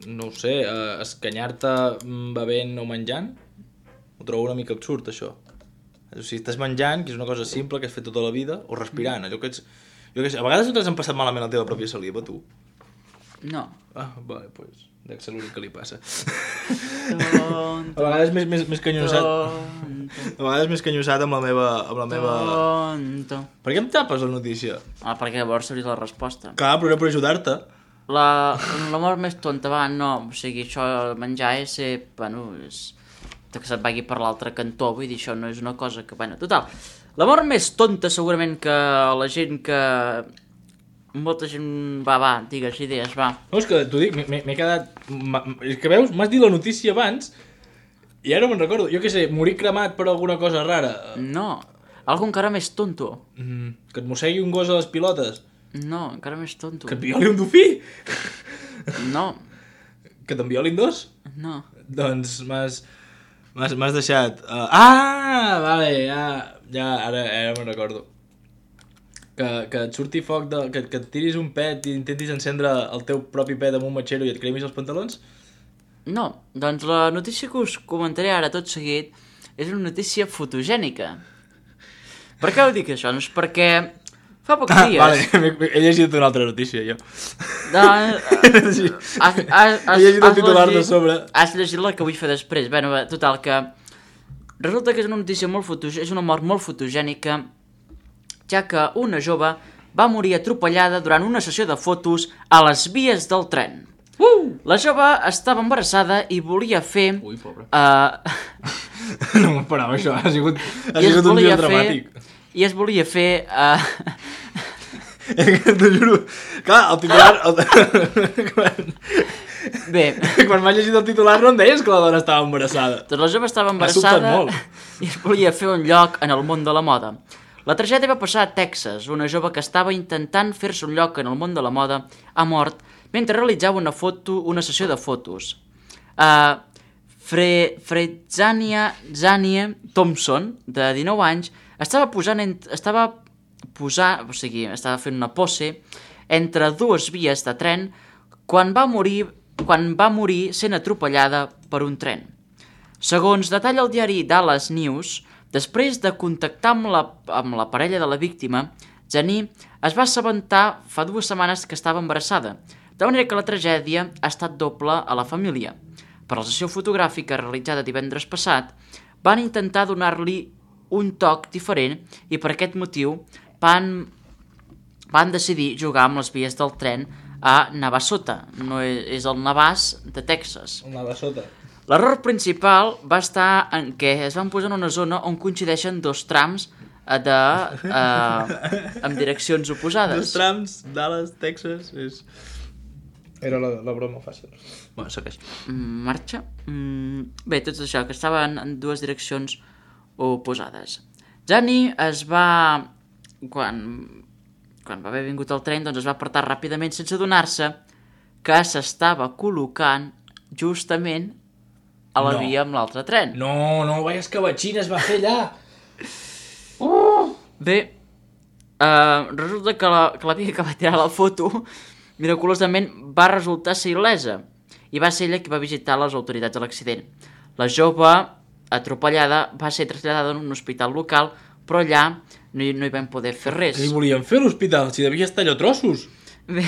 Speaker 3: No ho sé, eh, escanyar-te mm, bevent o menjant? Ho trobo una mica absurd, això. O sigui, estàs menjant, que és una cosa simple que has fet tota la vida, o respirant, allò que ets... Jo que sé, a vegades no t'has passat malament la teva pròpia saliva, tu?
Speaker 4: no.
Speaker 3: Ah, vale, doncs, pues, dec ser l'únic que li passa.
Speaker 4: Tonto,
Speaker 3: A vegades més, més, més canyosat...
Speaker 4: tonto,
Speaker 3: A vegades més canyosat amb la meva... Amb la meva...
Speaker 4: tonto.
Speaker 3: Per què em tapes la notícia?
Speaker 4: Ah, perquè llavors seria la resposta.
Speaker 3: Clar, però era per ajudar-te.
Speaker 4: La, la mort més tonta, va, no. O sigui, això, menjar és ser... Bueno, és... que se't vagi per l'altre cantó, vull dir, això no és una cosa que... Bueno, total. La mort més tonta segurament que la gent que... Molta gent... Va, va, digues idees, va.
Speaker 3: No, és que t'ho dic, m'he m'he quedat... m'ha- És que veus, m'has dit la notícia abans i ara me'n recordo. Jo què sé, morir cremat per alguna cosa rara.
Speaker 4: No. Algo encara més tonto.
Speaker 3: Mm, que et mossegui un gos a les pilotes.
Speaker 4: No, encara més tonto.
Speaker 3: Que et violi un dofí.
Speaker 4: No,
Speaker 3: Que te'n violin dos.
Speaker 4: no.
Speaker 3: Doncs m'has... M'has m'has deixat... Uh... Ah, vale, ja... Ja, ara, ara me'n recordo. Que, que et surti foc, de, que, que et tiris un pet i intentis encendre el teu propi pet amb un matxero i et cremis els pantalons?
Speaker 4: No, doncs la notícia que us comentaré ara tot seguit és una notícia fotogènica. Per què ho dic això? Doncs perquè fa pocs
Speaker 3: Ah,
Speaker 4: dies...
Speaker 3: vale, m'he- he llegit una altra notícia, jo.
Speaker 4: De...
Speaker 3: Sí.
Speaker 4: Has, has, has,
Speaker 3: He llegit el
Speaker 4: has
Speaker 3: titular de
Speaker 4: llegit-
Speaker 3: sobre.
Speaker 4: Has llegit la que vull fer després. Bueno, bé, total, que... Resulta que és una notícia molt fotogènica, és una mort molt fotogènica, ja que una jove va morir atropellada durant una sessió de fotos a les vies del tren. Uh! La jove estava embarassada i volia fer...
Speaker 3: Ui, pobre.
Speaker 4: Uh,
Speaker 3: No m'esperava això, ha sigut, ha
Speaker 4: i es
Speaker 3: sigut un
Speaker 4: volia
Speaker 3: dia
Speaker 4: fer...
Speaker 3: dramàtic.
Speaker 4: I es volia fer... Uh,
Speaker 3: T'ho juro. Clar, el titular... El... quan
Speaker 4: bé,
Speaker 3: quan m'has llegit el titular no em deies que la dona estava embarassada.
Speaker 4: doncs la jove estava
Speaker 3: M'ha sobtat
Speaker 4: embarassada
Speaker 3: molt.
Speaker 4: i es volia fer un lloc en el món de la moda. La tragèdia va passar a Texas. Una jove que estava intentant fer-se un lloc en el món de la moda ha mort mentre realitzava una foto, una sessió de fotos. Uh, Fre Fredzania Zania Thompson, de dinou anys, estava posant, en estava posant, o sigui, estava fent una pose entre dues vies de tren quan va morir, quan va morir sent atropellada per un tren. Segons detalla el diari Dallas News, després de contactar amb la, amb la parella de la víctima, Zani es va assabentar fa dues setmanes que estava embarassada, de manera que la tragèdia ha estat doble a la família. Per la sessió fotogràfica realitzada divendres passat, van intentar donar-li un toc diferent i per aquest motiu van, van decidir jugar amb les vies del tren a Navasota, no és, és el Navàs de Texas.
Speaker 3: Un Navasota.
Speaker 4: L'error principal va estar en què es van posar en una zona on coincideixen dos trams de, eh, amb direccions oposades.
Speaker 3: Dos trams, Dallas, Texas, és... Era la, la broma fàcil. Bueno, segueix.
Speaker 4: Marxa. Mm, bé, tot això, que estaven en dues direccions oposades. Zani es va... Quan, quan va haver vingut el tren, doncs es va apartar ràpidament sense adonar-se que s'estava col·locant justament a la
Speaker 3: No.
Speaker 4: via amb l'altre tren.
Speaker 3: No, no, vaya escabatxina es va fer allà.
Speaker 4: Bé, uh, resulta que la, que la via que va tirar la foto miraculosament va resultar ser il·lesa i va ser ella qui va visitar les autoritats de l'accident. La jove atropellada va ser traslladada en un hospital local, però allà no hi, no hi vam poder fer res.
Speaker 3: Què li volien fer a l'hospital? Si devia estar allò a trossos.
Speaker 4: Bé,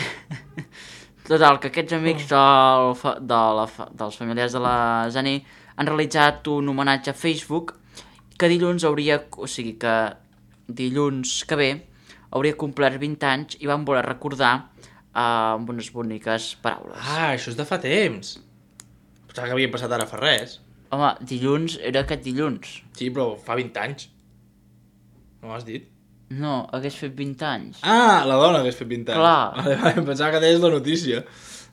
Speaker 4: total, que aquests amics del, fa- de la, fa- dels familiars de la Zani han realitzat un homenatge a Facebook que dilluns hauria, o sigui que dilluns que ve hauria complert vint anys i van voler recordar uh, amb unes boniques paraules.
Speaker 3: Ah, això és de fa temps. Pensava que havia passat ara fa res.
Speaker 4: Home, dilluns era aquest dilluns.
Speaker 3: Sí, però fa vint anys. No m'has dit?
Speaker 4: No, hagués fet vint anys.
Speaker 3: Ah, la dona hagués fet vint anys.
Speaker 4: Clar.
Speaker 3: Vale, vale, pensava que deies la notícia.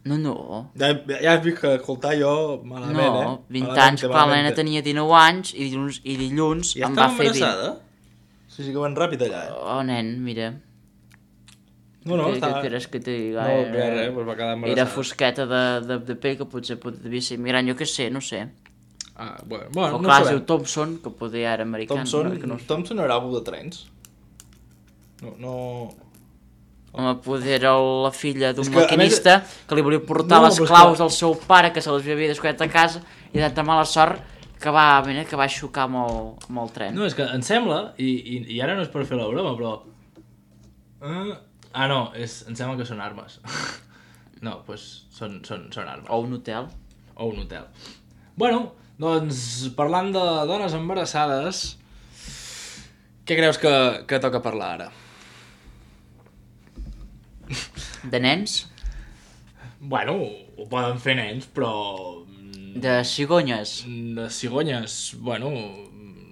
Speaker 4: No, no.
Speaker 3: Ja, ja has vist que escoltar jo malament,
Speaker 4: No,
Speaker 3: eh?
Speaker 4: vint
Speaker 3: Malament,
Speaker 4: anys, clar, la
Speaker 3: malament.
Speaker 4: nena tenia dinou anys i dilluns, i dilluns
Speaker 3: Ja
Speaker 4: em va
Speaker 3: estava
Speaker 4: fer vint.
Speaker 3: embarassada? Sí, sí que van ràpid allà, eh?
Speaker 4: Oh, nen, mira.
Speaker 3: No, no,
Speaker 4: Què,
Speaker 3: estava...
Speaker 4: què quieres que te diga?
Speaker 3: No,
Speaker 4: Era-
Speaker 3: res, res, pues va quedar embarassada.
Speaker 4: Era fosqueta de, de, de pell que potser pot, devia ser migrant, jo què sé, no sé.
Speaker 3: Ah, bueno, bueno
Speaker 4: O
Speaker 3: no
Speaker 4: clar, es
Speaker 3: sabem.
Speaker 4: diu Thompson, que poder era americà.
Speaker 3: Thompson,
Speaker 4: no, que no...
Speaker 3: Thompson era algú de trens. No, no...
Speaker 4: Home, poder era la filla d'un
Speaker 3: És que, a
Speaker 4: maquinista que li volia portar
Speaker 3: No,
Speaker 4: les
Speaker 3: però és
Speaker 4: claus
Speaker 3: que-
Speaker 4: al seu pare, que se les havia descuidat a casa, i de tan mala sort que va, mira, que va xocar amb el, amb el tren.
Speaker 3: No, és que em sembla, i, i, i ara no és per fer la broma, però... Uh, ah, no, és, em sembla que són armes. No, doncs pues, són, són, són armes.
Speaker 4: O un hotel.
Speaker 3: O un hotel. Bueno, doncs, parlant de dones embarassades, què creus que, que toca parlar ara?
Speaker 4: De nens,
Speaker 3: Bueno, ho poden fer nens, però...
Speaker 4: de cigonyes.
Speaker 3: De cigonyes, bueno,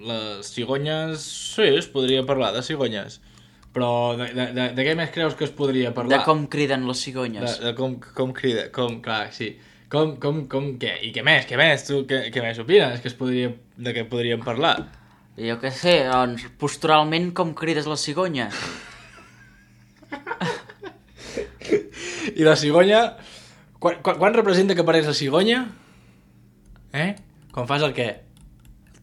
Speaker 3: les cigonyes, sí, es podria parlar de cigonyes. Però de, de, de, de què més creus que es podria parlar?
Speaker 4: De com criden les cigonyes.
Speaker 3: De, de com, com crida, com, clar, sí. Com, com, com, què? I què més, què més? Tu què, què més opines que es podria, de què podríem parlar?
Speaker 4: Jo què sé, doncs, posturalment com crides la cigonya.
Speaker 3: I la cigonya... Quan, quan, quan representa que apareix la cigonya? Eh? Quan fas el què?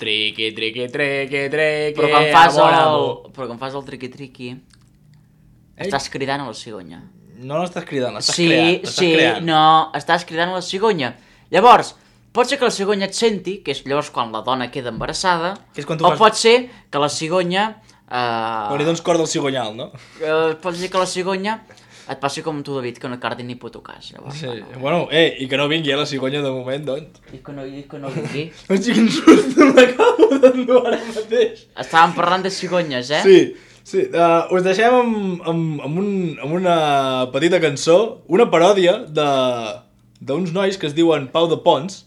Speaker 3: Triqui, triqui, triqui, triqui...
Speaker 4: Però quan fas
Speaker 3: amor,
Speaker 4: el,
Speaker 3: amor.
Speaker 4: però quan fas el triqui-triqui,
Speaker 3: Eh?
Speaker 4: estàs cridant a la cigonya.
Speaker 3: No l'estàs cridant, l'estàs
Speaker 4: Sí,
Speaker 3: creant. l'estàs
Speaker 4: sí,
Speaker 3: creant.
Speaker 4: no, estàs cridant a la cigonya. Llavors, pot ser que la cigonya et senti, que és llavors quan la dona queda embarassada,
Speaker 3: Que és quan tu
Speaker 4: o
Speaker 3: fas-
Speaker 4: pot ser que la cigonya... Eh,
Speaker 3: Quan li dones cor del cigonyal, no?
Speaker 4: eh, pot ser que la cigonya et passi com tu, David, que no cardi ni puto cas. Llavors,
Speaker 3: Sí,
Speaker 4: bueno.
Speaker 3: bueno, eh, i que no vingui eh, la cigonya de moment, doncs.
Speaker 4: I que no, i que no vingui.
Speaker 3: No sé quin susto m'acabo d'endur ara mateix.
Speaker 4: Estàvem parlant de cigonyes, eh?
Speaker 3: Sí, sí. Uh, us deixem amb, amb, amb, un, amb una petita cançó, una paròdia de d'uns nois que es diuen Pau de Pons,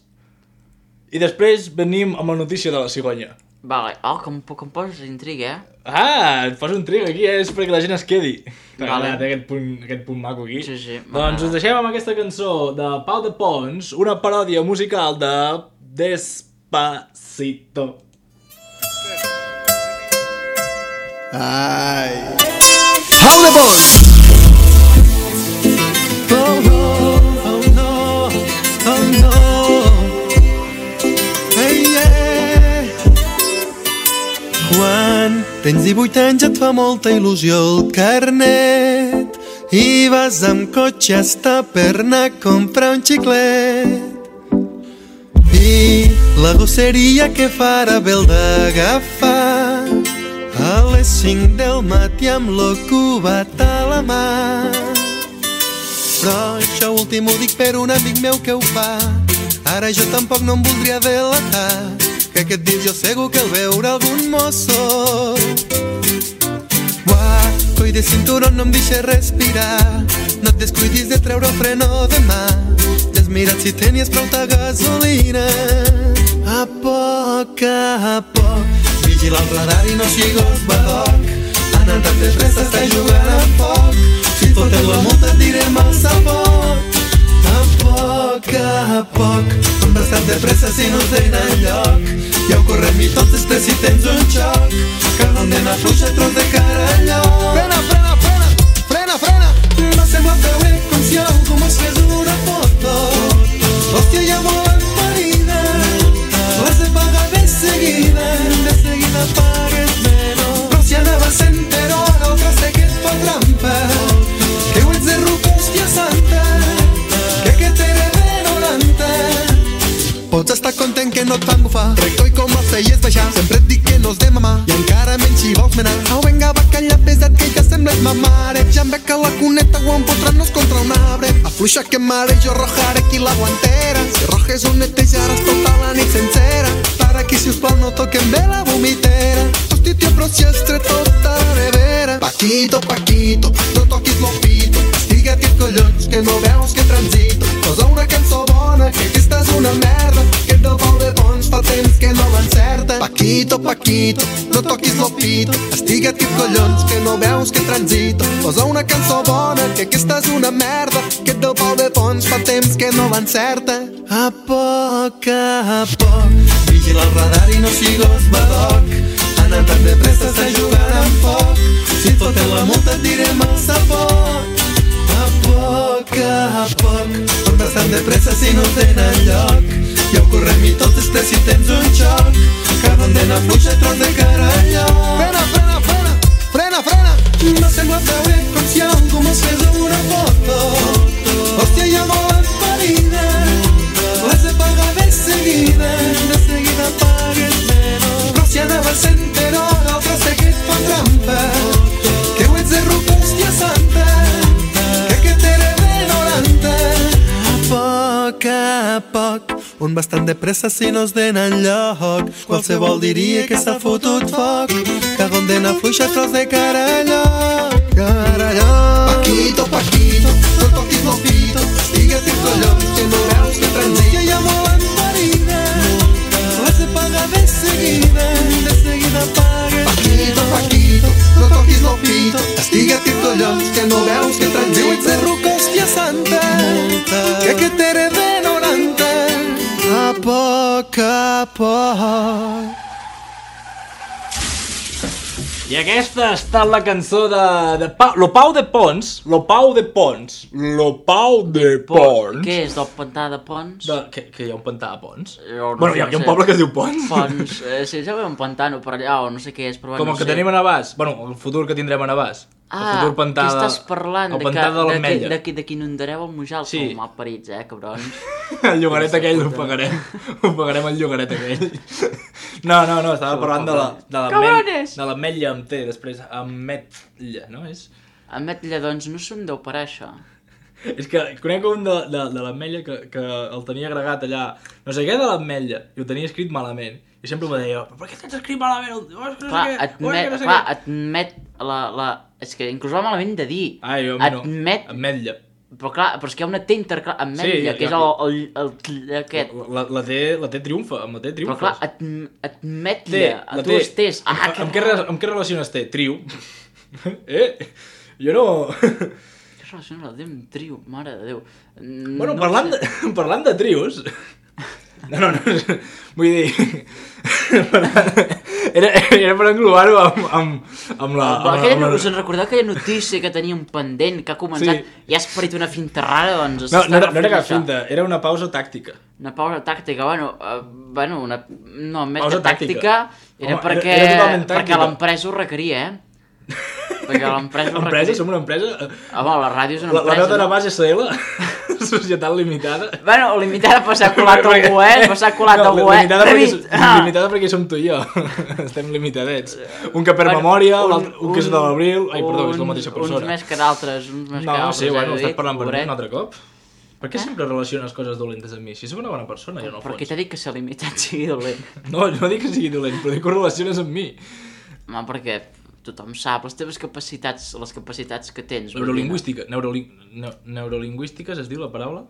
Speaker 3: i després venim amb la notícia de la cigonya.
Speaker 4: Vale. Oh, que em, que em poses intriga, eh?
Speaker 3: Ah, et fas un trig aquí, eh? És perquè la gent es quedi.
Speaker 4: Vale.
Speaker 3: Vale. Aquest, punt, aquest punt maco aquí.
Speaker 4: Sí, sí,
Speaker 3: Doncs
Speaker 4: m'agrada.
Speaker 3: us deixem amb aquesta cançó de Pau de Pons, una paròdia musical de Despacito.
Speaker 1: Ay. Pau de Pons. Oh, no, oh, no, oh, no.
Speaker 5: Tens divuit anys, et fa molta il·lusió el carnet i vas amb cotxe hasta per anar a comprar un xiclet. I la gosseria que farà bé el d'agafar a les cinc del matí amb lo cubat a la mà. Però això últim ho dic per un amic meu que ho fa. Ara jo tampoc no em voldria delatar, que aquest dia jo segur que el veurà algun mosso. Uah, coi de cinturó no em deixes respirar, no et descuidis de treure el freno de mà. Ja has mirat si tenies prou de gasolina. A poc a poc, vigila el radar i no sigues badoc. Anant tan de pressa estàs jugant a foc, si et foten la multa et direm al sabot. A poc a poc, com bastant de pressa si no tens enlloc. Ja ho correm i tots després si tens un xoc, que condena fluixa tros de cara enlloc. Frena, frena, frena, frena, frena. M'ha semblat veure com si algú mos fes una foto. Hòstia, ja volen marina, l'has de pagar de seguida, de seguida pagues menys. Però si anava sent per hora el traste que et fa trampa, que ho ets de ruca, hòstia santa, que que t'ere de noranta. Pots estar content que no et fan bufar, rector i com els feies baixar. Sempre et dic que no és de mamar, i encara menys si vols menar. Au, venga, va, calla, pesat, que ja sembles ma mare. Ja em veig que la cuneta ho empotrant-nos contra un arbre. Afluixa que mare, jo rojaré aquí la guantera. Si rojes ho netejaràs tota la nit sencera. Per aquí, si us plau, no toquem bé la vomitera. Hosti, tio, però si has tret tota la nevera. Paquito, Paquito, no toquis lo pito. Estiga't i collons, que no veus que transito. Posa una cançó bona, que aquesta és una merda, que et del pau de bons fa temps que no l'encerta. Paquito, Paquito, no toquis lo pito. Estiga't i collons, que no veus que transito. Posa una cançó bona, que aquesta és una merda, que et del pau de bons fa temps que no l'encerta. A poc a poc, vigila el radar i no sigues badoc. Anant tan de pressa estàs jugant amb foc, si et foten la multa et direm al sabot. A poc a poc, com bastant de pressa si no tenen lloc. Ja ho correm i tot després si tens un xoc, que condena fluixa tros de cara enlloc. Frena, frena, frena, frena, frena. M'ha semblat veure com si algú mos fes una foto. Hòstia, ja volen marina, l'has de pagar de seguida, de seguida pagues menys. Però si anava sent per hora el traste que et fa trampa, que ho ets de ruca, hòstia santa, que que t'ere de noranta. A poc a poc, un bastant de pressa si no es denen lloc. Qualsevol diria que s'ha fotut foc, que condena fluixa tros de cara enlloc, cara enlloc. Paquito, Paquito, no toquis lo pito. Estigues i collons, que no veus que transita. Ja volen marina, l'has de pagar de seguida, de seguida pagues. Paquito, Paquito, no toquis lo pito. Estigues i collons, que no veus que transita. Diu ets de ruca, hòstia santa, que que t'ere de noranta. A poc a poc.
Speaker 3: I aquesta ha estat la cançó de, de pa, Lo Pau de Pons. Lo Pau de Pons. Lo Pau de Pons.
Speaker 4: Què és, del pantà de Pons?
Speaker 3: De, que, que hi ha un pantà a Pons?
Speaker 4: Jo no
Speaker 3: bueno, hi ha, hi ha un poble que es diu Pons.
Speaker 4: Pons, eh, sí, ja veu un pantano per allà o no sé què és, però
Speaker 3: Com
Speaker 4: no
Speaker 3: el que
Speaker 4: sé.
Speaker 3: tenim a Navàs. Bueno, el futur que tindrem a Navàs.
Speaker 4: Ah,
Speaker 3: el futur pantà
Speaker 4: què
Speaker 3: de,
Speaker 4: estàs parlant?
Speaker 3: el
Speaker 4: De
Speaker 3: pantà
Speaker 4: que,
Speaker 3: de l'Ametlla.
Speaker 4: de, de, de qui inundareu el Mujal?
Speaker 3: Sí.
Speaker 4: Som malparits, eh, cabrons.
Speaker 3: El llogaret aquell ho pagarem. Ho pagarem el llogaret aquell. No, no, no, estava parlant de la de
Speaker 4: Cabrones!
Speaker 3: de l'ametlla amb T, després ametlla, no? És...
Speaker 4: Ametlla, doncs, no se'm deu parar això.
Speaker 3: És que conec un de, de, de l'ametlla que, que el tenia agregat allà, no sé què de l'ametlla, i ho tenia escrit malament. I sempre m'ho deia, per què tens escrit malament? Oh, no sé
Speaker 4: Clar,
Speaker 3: què, oh,
Speaker 4: admet,
Speaker 3: no sé
Speaker 4: clar,
Speaker 3: què.
Speaker 4: admet la, la... És que inclús va malament de dir.
Speaker 3: Ai, jo, no.
Speaker 4: Admet...
Speaker 3: Ametlla.
Speaker 4: Però clar, però és que hi ha una T interclar... Ametlla,
Speaker 3: Sí,
Speaker 4: que és
Speaker 3: ja-
Speaker 4: el, el, el, aquest.
Speaker 3: La, la, T, la T triomfa, amb la T
Speaker 4: Però
Speaker 3: triomfes.
Speaker 4: clar, ad, admetlla,
Speaker 3: T,
Speaker 4: a
Speaker 3: la
Speaker 4: tu les T's.
Speaker 3: Amb,
Speaker 4: Ah,
Speaker 3: amb, què, re- amb què relaciones T? Trio. Eh? Jo no...
Speaker 4: Què relaciona la D amb trio? Mare de Déu. Mm,
Speaker 3: Bueno,
Speaker 4: no
Speaker 3: parlant,
Speaker 4: sé.
Speaker 3: de, parlant de trios... No, no, no, vull dir... Era, era per englobar-ho amb, amb, amb la...
Speaker 4: Amb,
Speaker 3: amb,
Speaker 4: aquella,
Speaker 3: amb,
Speaker 4: us en recordeu aquella notícia que teníem pendent, que ha començat,
Speaker 3: Sí.
Speaker 4: i has parit una finta rara, doncs...
Speaker 3: No, no, era, no era cap
Speaker 4: això.
Speaker 3: finta, era una pausa tàctica.
Speaker 4: Una pausa tàctica, bueno, uh, bueno una... No, més
Speaker 3: Pausa
Speaker 4: que tàctica,
Speaker 3: tàctica.
Speaker 4: era
Speaker 3: Home,
Speaker 4: perquè,
Speaker 3: era- era totalment tàctica.
Speaker 4: perquè l'empresa ho requeria, eh? Perquè l'empresa ho
Speaker 3: Empresa,
Speaker 4: requeria.
Speaker 3: som una empresa...
Speaker 4: Home, la ràdio és una
Speaker 3: La, la
Speaker 4: empresa,
Speaker 3: meva
Speaker 4: no?
Speaker 3: base S L, Societat Limitada.
Speaker 4: Bueno, limitada per s'ha colat algú, eh? Per s'ha colat
Speaker 3: No,
Speaker 4: algú, eh?
Speaker 3: limitada, perquè,
Speaker 4: David! Ah!
Speaker 3: limitada perquè som tu i jo. Estem limitadets. Un que per
Speaker 4: Bueno,
Speaker 3: memòria, un, un, un que és de l'abril... Ai, perdó, és la mateixa
Speaker 4: Uns
Speaker 3: persona.
Speaker 4: més que d'altres, uns més
Speaker 3: No,
Speaker 4: que d'altres.
Speaker 3: sí, bueno,
Speaker 4: eh,
Speaker 3: estàs
Speaker 4: David,
Speaker 3: parlant per mi
Speaker 4: pobret.
Speaker 3: un altre cop. Per què sempre relaciones coses dolentes amb mi? Si sóc una bona persona, jo no
Speaker 4: Per què
Speaker 3: fons.
Speaker 4: t'ha dit que ser limitat sigui dolent?
Speaker 3: No, jo no dic que sigui dolent, però dic que ho relaciones amb mi.
Speaker 4: Home, perquè tothom sap les teves capacitats, les capacitats que tens. vull dir,
Speaker 3: Neurolingüística. Neuroli... Neu... Neurolingüístiques es diu la paraula?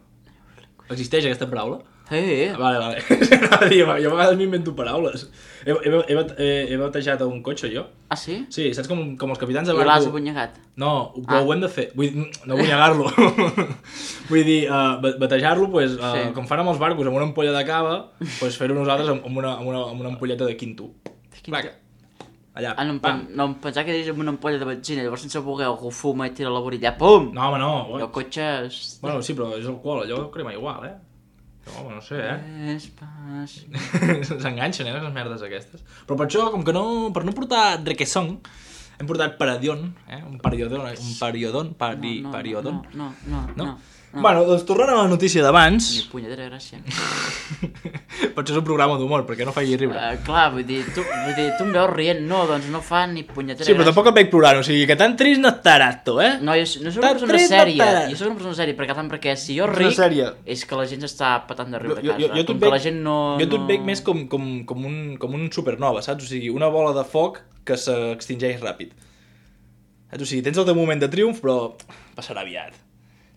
Speaker 3: Existeix aquesta paraula?
Speaker 4: Eh, eh.
Speaker 3: Vale, vale. Anava a dir, jo a vegades m'invento paraules. He, he, he, he, he batejat un cotxe, jo.
Speaker 4: Ah, sí?
Speaker 3: Sí, saps com, com els capitans de
Speaker 4: I l'has
Speaker 3: barco...
Speaker 4: abonyegat?
Speaker 3: No, però
Speaker 4: Ah.
Speaker 3: ho hem de fer. Vull dir, no vull negar-lo. Vull dir, uh, batejar-lo, pues, uh,
Speaker 4: Sí.
Speaker 3: com fan amb els barcos, amb una ampolla de cava, pues, fer-ho nosaltres amb, amb, una, amb, una, amb una ampolleta de quinto. Placa. Allà,
Speaker 4: Ah, no, em,
Speaker 3: pam.
Speaker 4: pen- no, em pensava que deies amb una ampolla de benzina, llavors sense voler algú fuma i tira la vorilla, pum!
Speaker 3: No, home, no.
Speaker 4: I el cotxe... És...
Speaker 3: Bueno, sí, però és alcohol, allò crema igual, eh? Però, home, no sé, eh?
Speaker 4: És pas...
Speaker 3: S'enganxen, eh, les merdes aquestes. Però per això, com que no... Per no portar requesón, hem portat paradion, eh? Un periodon, un periodon, pari,
Speaker 4: no,
Speaker 3: periodon.
Speaker 4: No, no, no,
Speaker 3: No?
Speaker 4: no. no.
Speaker 3: Bueno, doncs tornant a la notícia d'abans...
Speaker 4: Ni punyetera gràcia.
Speaker 3: Per això és un programa d'humor, perquè no faci riure.
Speaker 4: Uh, clar, vull dir, tu, vull dir, tu em veus rient, no, doncs no fa ni punyetera
Speaker 3: Sí, però
Speaker 4: gràcia.
Speaker 3: tampoc et veig plorant, o sigui que tan trist no estaràs tu, eh?
Speaker 4: No, jo, no soc
Speaker 3: Tan
Speaker 4: una persona
Speaker 3: trist no
Speaker 4: sèria,
Speaker 3: estaràs.
Speaker 4: jo soc una persona sèria, perquè, tant perquè si jo
Speaker 3: Una
Speaker 4: ric,
Speaker 3: sèrie.
Speaker 4: és que la gent s'està patant de riure
Speaker 3: Jo,
Speaker 4: a
Speaker 3: jo,
Speaker 4: casa.
Speaker 3: jo,
Speaker 4: com
Speaker 3: et
Speaker 4: que
Speaker 3: veig,
Speaker 4: la gent no...
Speaker 3: jo t'ho
Speaker 4: no...
Speaker 3: et veig més com, com, com, un, com un supernova, saps? O sigui, una bola de foc que s'extingeix ràpid. Saps? O sigui, tens el teu moment de triomf, però passarà aviat.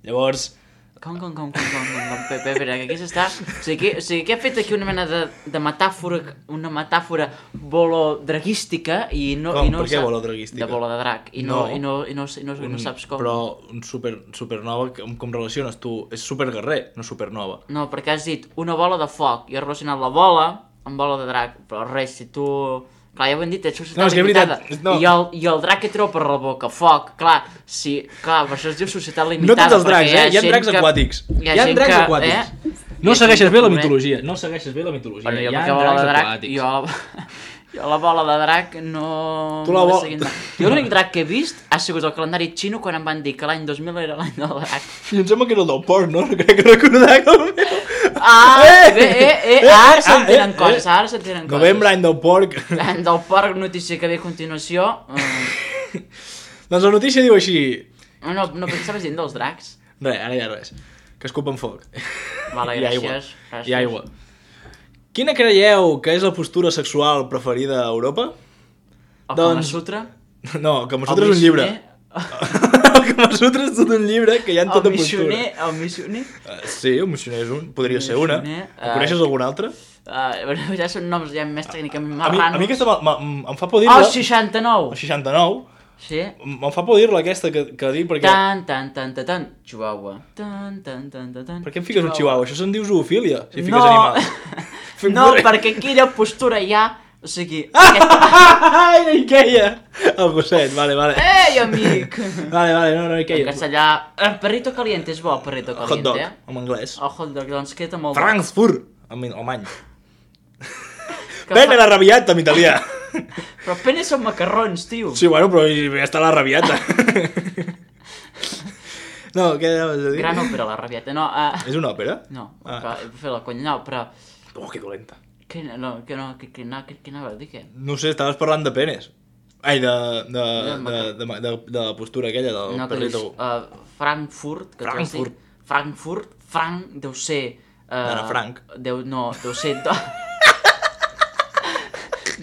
Speaker 3: Llavors...
Speaker 4: Com, com, com, com, com, com, com, Pepe, espera, que aquí s'està... O sigui, que, o sigui, que ha fet aquí una mena de, de metàfora, una metàfora bolodraguística i no...
Speaker 3: Com?
Speaker 4: I no
Speaker 3: Per què
Speaker 4: sap-
Speaker 3: bolodraguística?
Speaker 4: De bola de drac, i no,
Speaker 3: No.
Speaker 4: i no, i no, i no, i no saps com...
Speaker 3: Però un super, supernova, com, com relaciones tu? És superguerrer, no supernova.
Speaker 4: No, perquè has dit una bola de foc, i has relacionat la bola amb bola de drac, però res, si tu... Clar, ja ho hem dit, ets societat
Speaker 3: No, és que és
Speaker 4: limitada.
Speaker 3: veritat, no.
Speaker 4: I, el, I el drac que treu per la boca, foc, clar, si, clar, per això es diu societat
Speaker 3: No
Speaker 4: limitada.
Speaker 3: tots els dracs,
Speaker 4: perquè
Speaker 3: eh? Hi ha
Speaker 4: gent
Speaker 3: dracs
Speaker 4: que-
Speaker 3: aquàtics.
Speaker 4: Hi ha,
Speaker 3: Hi ha
Speaker 4: gent
Speaker 3: dracs
Speaker 4: que,
Speaker 3: aquàtics.
Speaker 4: Eh?
Speaker 3: No
Speaker 4: Hi ha
Speaker 3: segueixes
Speaker 4: gent
Speaker 3: bé
Speaker 4: que
Speaker 3: la
Speaker 4: coneix-
Speaker 3: mitologia, no segueixes bé la mitologia.
Speaker 4: Bueno, jo
Speaker 3: Hi ha
Speaker 4: perquè bola
Speaker 3: dracs
Speaker 4: de drac,
Speaker 3: aquàtics.
Speaker 4: jo la, jo la bola de drac no...
Speaker 3: Tu la
Speaker 4: no
Speaker 3: bo-
Speaker 4: he seguit mai. Jo l'únic drac que he vist ha sigut el calendari xino quan em van dir que l'any dos mil era l'any del drac.
Speaker 3: I em sembla que era el del porc, no? No crec que recordar que el meu...
Speaker 4: Ah,
Speaker 3: Eh!
Speaker 4: bé, eh, eh,
Speaker 3: Eh!
Speaker 4: ara
Speaker 3: Ah,
Speaker 4: s'entenen
Speaker 3: eh,
Speaker 4: coses,
Speaker 3: eh.
Speaker 4: ara s'entenen coses.
Speaker 3: Novembre, any del porc.
Speaker 4: L'any del porc, notícia que ve a continuació. Eh,
Speaker 3: Doncs la notícia diu així...
Speaker 4: no, no, no, perquè estaves dient dels dracs.
Speaker 3: Res, ara ja res. Que escupen foc.
Speaker 4: Vale,
Speaker 3: I aigua.
Speaker 4: gràcies. gràcies.
Speaker 3: I aigua. Quina creieu que és la postura sexual preferida a Europa?
Speaker 4: El
Speaker 3: Doncs-
Speaker 4: Kama Sutra.
Speaker 3: No, el Kama Sutra és un llibre. El Kama Sutra és tot un llibre que hi ha en
Speaker 4: El
Speaker 3: tota
Speaker 4: missioner,
Speaker 3: postura.
Speaker 4: el missioner.
Speaker 3: Uh, sí, el missioner és un. Podria ser una.
Speaker 4: Missioner,
Speaker 3: En
Speaker 4: eh,
Speaker 3: coneixes alguna altra?
Speaker 4: Uh, bueno, ja són noms ja més tècnicament
Speaker 3: A mi,
Speaker 4: marranos.
Speaker 3: a mi aquesta me- me- em fa por
Speaker 4: Oh,
Speaker 3: dir-la.
Speaker 4: seixanta-nou!
Speaker 3: El seixanta-nou.
Speaker 4: Sí.
Speaker 3: Em fa por dir-la aquesta que, que dic perquè...
Speaker 4: Tan, tan, tan, tan, tan, chihuahua. Tan, tan, tan, tan, tan.
Speaker 3: Per què em fiques un chihuahua? Això se'n diu zoofília, si fiques
Speaker 4: No.
Speaker 3: animals. Fem
Speaker 4: No,
Speaker 3: corre-
Speaker 4: perquè quina postura hi ha... O sigui... Aquest...
Speaker 3: Ai, no hi queia! El gosset, vale, vale.
Speaker 4: Ei, amic!
Speaker 3: Vale, vale, no, no hi
Speaker 4: En
Speaker 3: queia.
Speaker 4: castellà... El perrito caliente és bo, el perrito
Speaker 3: Hot dog,
Speaker 4: caliente, eh?
Speaker 3: en anglès.
Speaker 4: El hot dog, doncs queda molt bo.
Speaker 3: Frankfurt, en alemany.
Speaker 4: Que
Speaker 3: Pene
Speaker 4: fa-
Speaker 3: la rabiata, en italià.
Speaker 4: Però pene són macarrons, tio.
Speaker 3: Sí, bueno, però ja està la rabiata. No, què anaves a dir?
Speaker 4: Gran òpera, la rabieta. No, uh...
Speaker 3: És una òpera?
Speaker 4: no,
Speaker 3: Ah.
Speaker 4: ah. fer la conya, no, però...
Speaker 3: Oh, que dolenta.
Speaker 4: Què, no, què, no, què, què, no, què, què anava a dir, què?
Speaker 3: No ho sé, estaves parlant de penes. Ai, de, de, de,
Speaker 4: maca-
Speaker 3: de, de, de la postura aquella del
Speaker 4: No, que dius,
Speaker 3: perrito.
Speaker 4: uh, Frankfurt, que tu has dit.
Speaker 3: Frankfurt.
Speaker 4: Frankfurt, Frank deu ser... Uh,
Speaker 3: Ana Frank.
Speaker 4: Deu, no, deu ser... Do...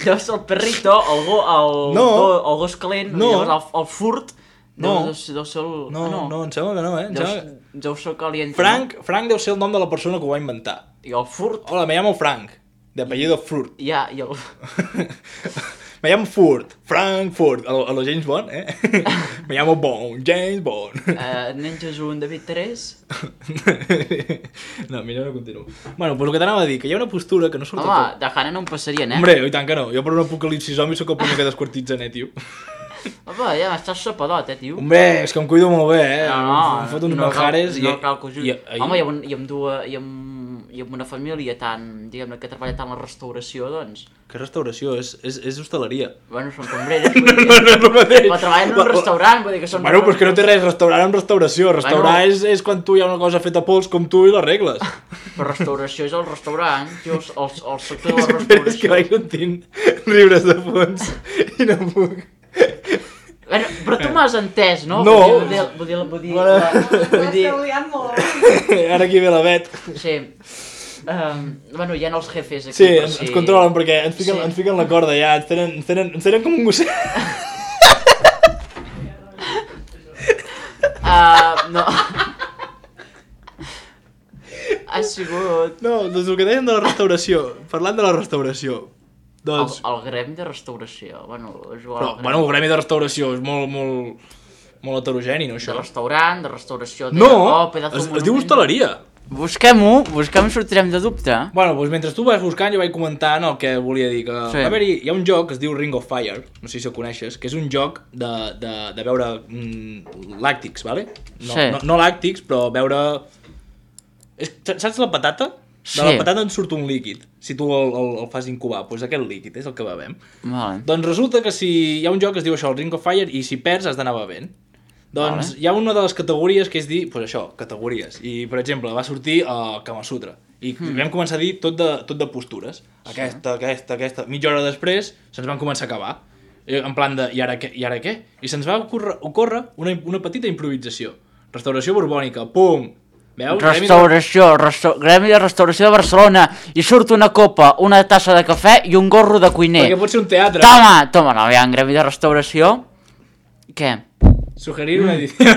Speaker 4: deu ser el perrito, el, go, el,
Speaker 3: No.
Speaker 4: go, el gos calent,
Speaker 3: No.
Speaker 4: llavors el, el furt,
Speaker 3: No.
Speaker 4: deu, deu, ser, deu ser el...
Speaker 3: No,
Speaker 4: ah,
Speaker 3: no, no, em sembla que no, eh? Em
Speaker 4: Deu,
Speaker 3: sembla... que-
Speaker 4: deu ser el caliente.
Speaker 3: Frank, Frank deu ser el nom de la persona que ho va inventar.
Speaker 4: No? I el furt,
Speaker 3: Hola, me llamo Frank, de apellido Furt.
Speaker 4: ja, i el...
Speaker 3: me llamo Ford, Frankfurt, a lo, a lo James Bond, eh? Me llamo Bond, James Bond.
Speaker 4: Uh, Nenges un David Terés.
Speaker 3: No, millor no continuo. Bueno, pues el que t'anava a dir, que hi ha una postura que no surt...
Speaker 4: Home, de Hanna no em passarien, eh?
Speaker 3: Hombre, i tant que no. Jo per un apocalipsi zombi sóc el primer que desquartitza, eh, tio.
Speaker 4: Home, ja estàs sopadot, eh, tio?
Speaker 3: Hombre, és que em cuido molt bé, eh?
Speaker 4: No, no,
Speaker 3: em foto uns
Speaker 4: no cal,
Speaker 3: manjares
Speaker 4: no
Speaker 3: i...
Speaker 4: cal que ho jugui.
Speaker 3: i, i,
Speaker 4: Home, i amb, un- i amb, dues, i amb, i amb una família tan, diguem-ne, que treballa tant la restauració, doncs...
Speaker 3: Que restauració? És, és, és hostaleria.
Speaker 4: Bueno, són cambreres, vull dir...
Speaker 3: No, no és el mateix.
Speaker 4: Però treballen en un restaurant, vull dir que són...
Speaker 3: Bueno, pues que no té res, restaurar amb restauració. Restaurar
Speaker 4: Bueno.
Speaker 3: és, és quan tu hi ha una cosa feta a pols com tu i l'arregles.
Speaker 4: Però restauració és el restaurant, tio, el, el, el sector de la
Speaker 3: Però és que
Speaker 4: restauració.
Speaker 3: vaig sentint riures de fons i no puc.
Speaker 4: Bueno, però tu m'has entès, no?
Speaker 3: No.
Speaker 4: Vull dir, vull dir, vull dir,
Speaker 3: Bueno.
Speaker 4: la, vull dir,
Speaker 6: Esteu liant molt.
Speaker 3: Ara aquí ve la Bet.
Speaker 4: sí. Um, bueno, hi ha els jefes aquí,
Speaker 3: Sí,
Speaker 4: per
Speaker 3: ens,
Speaker 4: si...
Speaker 3: ens controlen perquè ens fiquen,
Speaker 4: Sí.
Speaker 3: ens fiquen la corda ja, ens tenen, ens tenen, ens tenen com un gosset.
Speaker 4: Uh, no. Ha sigut...
Speaker 3: No, doncs el que deien de la restauració, parlant de la restauració,
Speaker 4: El,
Speaker 3: doncs...
Speaker 4: el gremi de restauració, bueno, jugar
Speaker 3: Però,
Speaker 4: al gremi
Speaker 3: bueno, el gremi de restauració és molt, molt, molt heterogeni, no,
Speaker 4: de
Speaker 3: això?
Speaker 4: restaurant, de restauració... De...
Speaker 3: No,
Speaker 4: oh, pedazo
Speaker 3: es,
Speaker 4: de
Speaker 3: es diu
Speaker 4: monument.
Speaker 3: hostaleria.
Speaker 4: Busquem-ho, busquem i sortirem de dubte.
Speaker 3: Bueno, doncs mentre tu vas buscant jo vaig comentant el que volia dir, que
Speaker 4: Sí.
Speaker 3: va haver-hi, hi ha un joc que es diu Ring of Fire, no sé si el coneixes, que és un joc de, de, de veure mm, làctics, vale? No,
Speaker 4: Sí.
Speaker 3: no, no làctics, però veure... És, saps la patata? De
Speaker 4: Sí.
Speaker 3: la patata en surt un líquid, si tu el, el, el fas incubar, doncs aquest líquid és el que bevem.
Speaker 4: Vale.
Speaker 3: Doncs resulta que si hi ha un joc que es diu això, el Ring of Fire, i si perds has d'anar bevent. Doncs
Speaker 4: Vale.
Speaker 3: hi ha una de les categories que és dir, doncs això, categories. I, per exemple, va sortir a uh, Kama Sutra. I hmm. vam començar a dir tot de, tot de postures. Aquesta, aquesta, aquesta. Mitja hora després se'ns van començar a acabar. Eh, En plan de, i ara què? I ara què? I se'ns va ocórrer, ocórrer una, una petita improvisació. Restauració borbònica, pum! Veus?
Speaker 4: Restauració, resta... gremi de restauració de Barcelona, i surt una copa, una tassa de cafè i un gorro de cuiner.
Speaker 3: Perquè pot ser un teatre.
Speaker 4: Toma, toma, no, hi ha un gremi de restauració. Què?
Speaker 3: Sugerir una edició.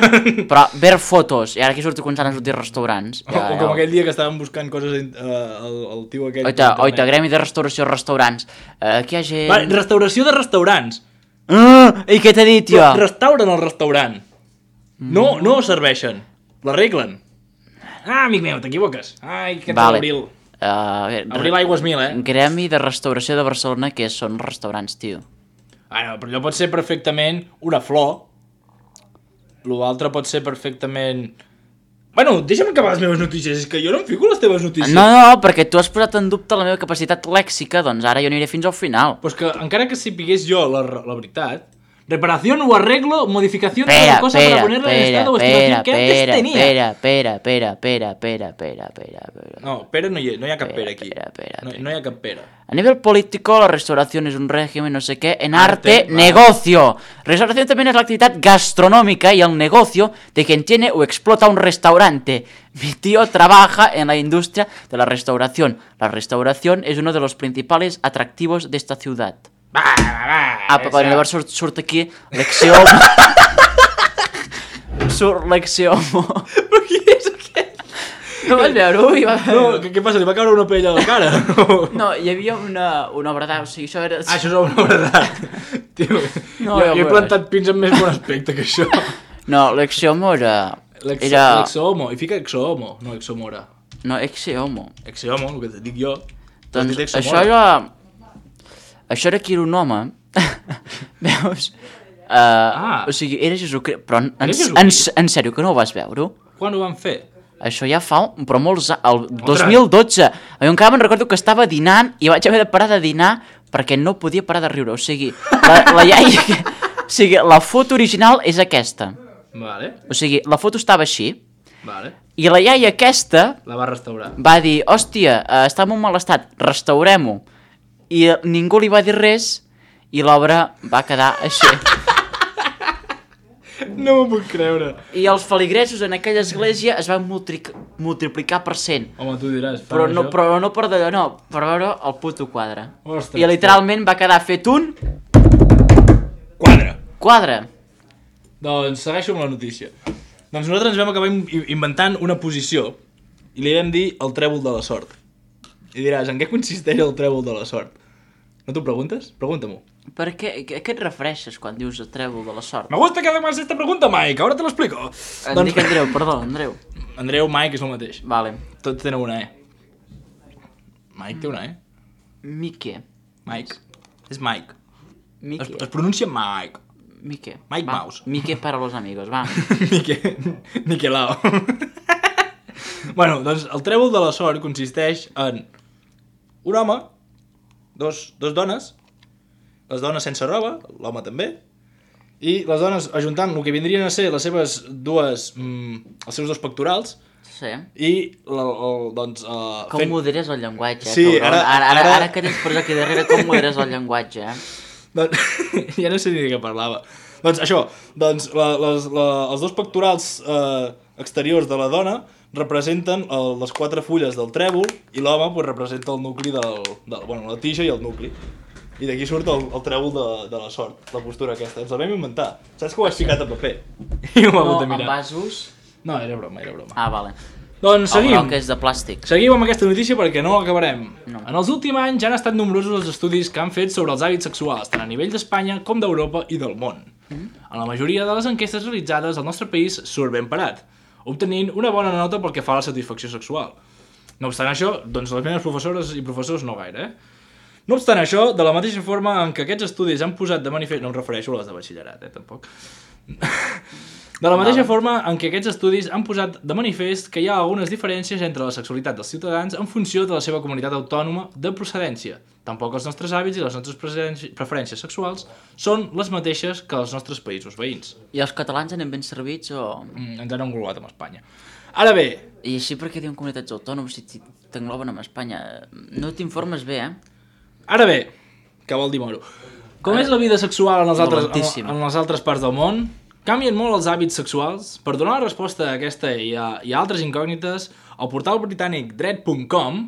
Speaker 4: Però ver fotos, i ara aquí surto començant a sortir restaurants.
Speaker 3: O, o com aquell dia que estàvem buscant coses, uh, el, el tio aquell... per
Speaker 4: Oita,
Speaker 3: internet.
Speaker 4: oita, gremi de restauració, restaurants. Uh, aquí hi ha gent...
Speaker 3: Va, restauració de restaurants.
Speaker 4: Uh, I què t'he dit, jo?
Speaker 3: Però restauren el restaurant. No, no serveixen. L'arreglen. Ah, amic meu, t'equivoques. Ai, que
Speaker 4: Vale.
Speaker 3: abril.
Speaker 4: Uh,
Speaker 3: Abril aigües mil, eh?
Speaker 4: gremi de restauració de Barcelona, que són restaurants, tio.
Speaker 3: Ah, no, però allò pot ser perfectament una flor. L'altre pot ser perfectament... Bueno, deixa'm acabar les meves notícies, és que jo no em fico les teves notícies.
Speaker 4: No, no, perquè tu has posat en dubte la meva capacitat lèxica, doncs ara jo aniré fins al final.
Speaker 3: Pues que encara que sapigués jo la, la veritat, reparación o arreglo, modificación de
Speaker 4: Pera,
Speaker 3: la cosa
Speaker 4: pera,
Speaker 3: para ponerla en
Speaker 4: pera,
Speaker 3: estado o
Speaker 4: pera,
Speaker 3: estimación que antes
Speaker 4: pera,
Speaker 3: tenía.
Speaker 4: pera, pera, pera, pera, pera, pera, pera, pera.
Speaker 3: No, pera no hi, no hi ha cap pera aquí.
Speaker 4: Pera, pera,
Speaker 3: No,
Speaker 4: pera.
Speaker 3: no hi ha cap pera.
Speaker 4: A nivel político, la restauración es un régimen, no sé qué, en arte,
Speaker 3: Arte, va.
Speaker 4: negocio. Restauración también es la actividad gastronómica y el negocio de quien tiene o explota un restaurante. Mi tío trabaja en la industria de la restauración. La restauración es uno de los principales atractivos de esta ciudad.
Speaker 3: Va, va, va.
Speaker 4: Ah, però llavors surt, surt aquí l'exiomo. Surt l'exiomo.
Speaker 3: Però qui és aquest?
Speaker 4: No vas veure? Ui, va...
Speaker 3: No, què, què passa? Li va caure una pell a la cara?
Speaker 4: No, hi havia una, una obra d'art, o sigui, això era...
Speaker 3: Ah, això és una obra d'art. Tio,
Speaker 4: No,
Speaker 3: jo,
Speaker 4: ja
Speaker 3: jo he
Speaker 4: veuràs.
Speaker 3: plantat pins amb més bon aspecte que això.
Speaker 4: No, l'exiomo era...
Speaker 3: L'ex-
Speaker 4: Era...
Speaker 3: L'exohomo, i fica exohomo, no exomora.
Speaker 4: No, exiomo.
Speaker 3: Exohomo, el que et dic jo. Tu has
Speaker 4: Doncs
Speaker 3: dit
Speaker 4: això
Speaker 3: exomora.
Speaker 4: era... Això era que era un home. Veus? Uh,
Speaker 3: Ah.
Speaker 4: O sigui, era Jesucrist. Però en, en,
Speaker 3: Era
Speaker 4: en,
Speaker 3: Jesucrist?
Speaker 4: en sèrio, que no ho vas veure?
Speaker 3: Quan ho van fer?
Speaker 4: Això ja fa, un- però molts anys, el dos mil dotze. Jo encara me'n recordo que estava dinant i vaig haver de parar de dinar perquè no podia parar de riure. O sigui, la, la iaia... O sigui, la foto original és aquesta.
Speaker 3: Vale,
Speaker 4: O sigui, la foto estava així
Speaker 3: vale.
Speaker 4: i la iaia aquesta
Speaker 3: La va restaurar.
Speaker 4: va dir, hòstia, eh, està en un mal estat, restaurem-ho. I eh, ningú li va dir res i l'obra va quedar així.
Speaker 3: No m'ho puc creure.
Speaker 4: I els feligresos en aquella església es van multric- multiplicar per cent.
Speaker 3: Home, tu diràs, fan
Speaker 4: Però no,
Speaker 3: això?
Speaker 4: però no per d'allò, no, per veure el puto quadre.
Speaker 3: Ostres,
Speaker 4: I literalment va quedar fet un
Speaker 3: Quadre.
Speaker 4: quadre.
Speaker 3: Doncs segueixo amb la notícia. Doncs nosaltres ens vam acabar in- inventant una posició i li vam dir el trèvol de la sort. I diràs, en què consisteix el trèvol de la sort? No t'ho preguntes? Pregunta-m'ho.
Speaker 4: Per què, què, què et refereixes quan dius el trèvol de la sort?
Speaker 3: Me gusta que además esta pregunta, Mike, ahora te lo explico.
Speaker 4: Em doncs... dic Andreu, perdó, Andreu.
Speaker 3: Andreu, Mike és el mateix.
Speaker 4: Vale.
Speaker 3: Tots tenen una E. Mike té una E.
Speaker 4: Mique.
Speaker 3: Mike. És Mike.
Speaker 4: Mique.
Speaker 3: Es, es pronuncia Mike.
Speaker 4: Mique.
Speaker 3: Mike
Speaker 4: va.
Speaker 3: Mouse.
Speaker 4: Mique para los amigos, va.
Speaker 3: Mique... Miquelao. Bueno, doncs el trèvol de la sort consisteix en un home, dos, dos dones, les dones sense roba, l'home també, i les dones ajuntant el que vindrien a ser les seves dues, mm, els seus dos pectorals,
Speaker 4: Sí.
Speaker 3: i la, el, doncs... Uh,
Speaker 4: Com fent... moderes el llenguatge, eh,
Speaker 3: sí,
Speaker 4: cabron?
Speaker 3: ara,
Speaker 4: Ara, ara,
Speaker 3: ara...
Speaker 4: ara que tens per aquí darrere, com moderes el llenguatge, eh?
Speaker 3: Doncs, ja no sé ni de què parlava. Doncs això, doncs la, les, la, els dos pectorals eh, exteriors de la dona representen el, les quatre fulles del trèvol i l'home pues, representa el nucli del, del... Bueno, la tija i el nucli. I d'aquí surt el, el trèvol de, de la sort, la postura aquesta. Ens la vam inventar. Saps que ho has ficat a paper? I ho m'ha
Speaker 4: No,
Speaker 3: hagut de
Speaker 4: en
Speaker 3: mirar.
Speaker 4: vasos...
Speaker 3: No, era broma, era broma.
Speaker 4: Ah, vale.
Speaker 3: Doncs seguim.
Speaker 4: El groc és de plàstic.
Speaker 3: Seguim amb aquesta notícia perquè no l'acabarem.
Speaker 4: No.
Speaker 3: En els últims anys ja han estat nombrosos els estudis que han fet sobre els hàbits sexuals, tant a nivell d'Espanya com d'Europa i del món. Mm. En la majoria de les enquestes realitzades, el nostre país surt ben parat, obtenint una bona nota pel que fa a la satisfacció sexual. No obstant això, doncs les meves professores i professors no gaire, eh? No obstant això, de la mateixa forma en què aquests estudis han posat de manifest... No em refereixo a les de batxillerat, eh, tampoc. De la mateixa forma en què aquests estudis han posat de manifest que hi ha algunes diferències entre la sexualitat dels ciutadans en funció de la seva comunitat autònoma de procedència. Tampoc els nostres hàbits i les nostres preferències sexuals són les mateixes que els nostres països veïns.
Speaker 4: I els catalans anem ben servits o...?
Speaker 3: Mm, ens han englobat amb Espanya. Ara bé...
Speaker 4: I així perquè diuen comunitats autònomes si t'engloben amb Espanya. No t'informes bé, eh?
Speaker 3: Ara bé, què vol dir moro? Com Ara, és la vida sexual en les, altres, en, en les altres parts del món? Canvien molt els hàbits sexuals? Per donar la resposta a aquesta i a, i a altres incògnites, el portal britànic dret punt com,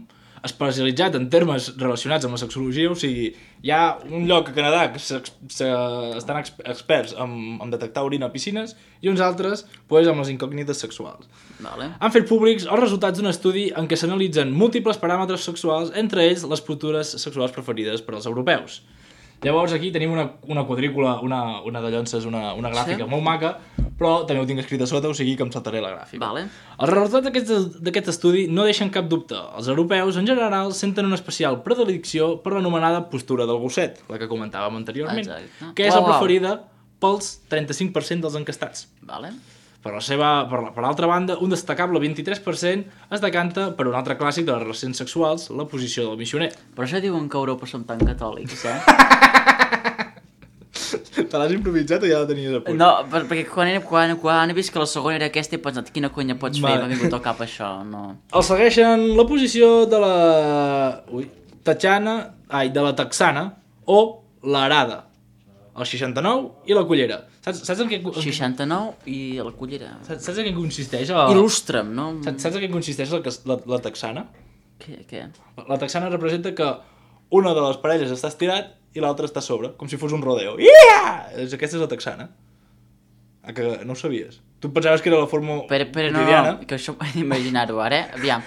Speaker 3: especialitzat en termes relacionats amb la sexologia, o sigui, hi ha un lloc a Canadà que se, se, estan ex, experts en, en detectar orina a piscines i uns altres pues, amb les incògnites sexuals.
Speaker 4: Vale.
Speaker 3: Han fet públics els resultats d'un estudi en què s'analitzen múltiples paràmetres sexuals, entre ells les postures sexuals preferides per als europeus. Llavors aquí tenim una, una quadrícula, una, una de llonces, una, una gràfica sí. molt maca, però també ho tinc escrit a sota, o sigui que em saltaré la gràfica.
Speaker 4: Vale.
Speaker 3: Els resultats d'aquest estudi no deixen cap dubte. Els europeus, en general, senten una especial predilecció per l'anomenada postura del gosset, la que comentàvem anteriorment, Exacte. que és wow, la preferida pels trenta-cinc per cent dels encastats.
Speaker 4: Vale.
Speaker 3: Per la seva, per, la, per l'altra banda, un destacable vint-i-tres per cent es decanta per un altre clàssic de les relacions sexuals, la posició del missioner.
Speaker 4: Per això diuen que a Europa som tan catòlics, eh?
Speaker 3: Te l'has improvisat o ja la tenies a punt?
Speaker 4: No, perquè quan he, quan, quan he vist que la segona era aquesta he pensat quina conya pots fer, m'ha vingut al cap això, no...
Speaker 3: El segueixen la posició de la... Ui, tatxana... Ai, de la texana o l'arada. El seixanta-nou i la cullera. Saps, saps en què...
Speaker 4: seixanta-nou i la cullera.
Speaker 3: Saps, saps en què consisteix? El...
Speaker 4: Il·lustra'm, no?
Speaker 3: Saps, saps en què consisteix la, la, la texana?
Speaker 4: Què? què?
Speaker 3: La, la texana representa que una de les parelles està estirat i l'altra està a sobre, com si fos un rodeo. Yeah! Aquesta és la texana. Ah, que no ho sabies? Tu pensaves que era la forma
Speaker 4: però, però
Speaker 3: quotidiana?
Speaker 4: No, que això ho he d'imaginar-ho ara, eh? Aviam.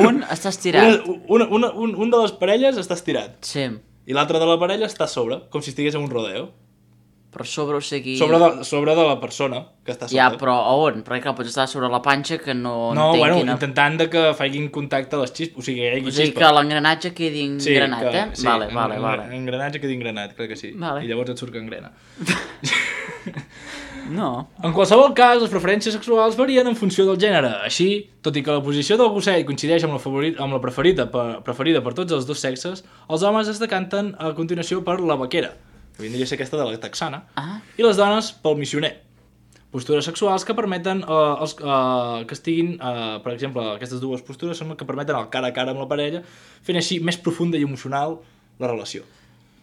Speaker 4: Un està estirat.
Speaker 3: Una, una, un, un de les parelles està estirat.
Speaker 4: Sí.
Speaker 3: I l'altre de la parella està a sobre, com si estigués en un rodeo.
Speaker 4: Però sobre, o sigui...
Speaker 3: Sobre de, sobre de la persona que està sobre.
Speaker 4: Ja, però a on? Perquè clar, pots estar sobre la panxa que no...
Speaker 3: No, bueno,
Speaker 4: quina...
Speaker 3: intentant de que facin contacte a les xispes, o sigui, hi hagi
Speaker 4: xispa. O sigui
Speaker 3: xispa.
Speaker 4: que l'engranatge quedi engranat,
Speaker 3: sí, que,
Speaker 4: eh?
Speaker 3: Sí,
Speaker 4: vale,
Speaker 3: en,
Speaker 4: vale, vale.
Speaker 3: Engranatge quedi engranat, crec que sí.
Speaker 4: Vale.
Speaker 3: I llavors et surt que engrena.
Speaker 4: No.
Speaker 3: En qualsevol cas, les preferències sexuals varien en funció del gènere. Així, tot i que la posició del gosset coincideix amb la, favorit, amb la preferida, per, preferida per tots els dos sexes, els homes es decanten a continuació per la vaquera, que vindria a ser aquesta de la texana,
Speaker 4: ah.
Speaker 3: i les dones pel missioner. Postures sexuals que permeten uh, els, uh, que estiguin, uh, per exemple, aquestes dues postures són que permeten el cara a cara amb la parella, fent així més profunda i emocional la relació.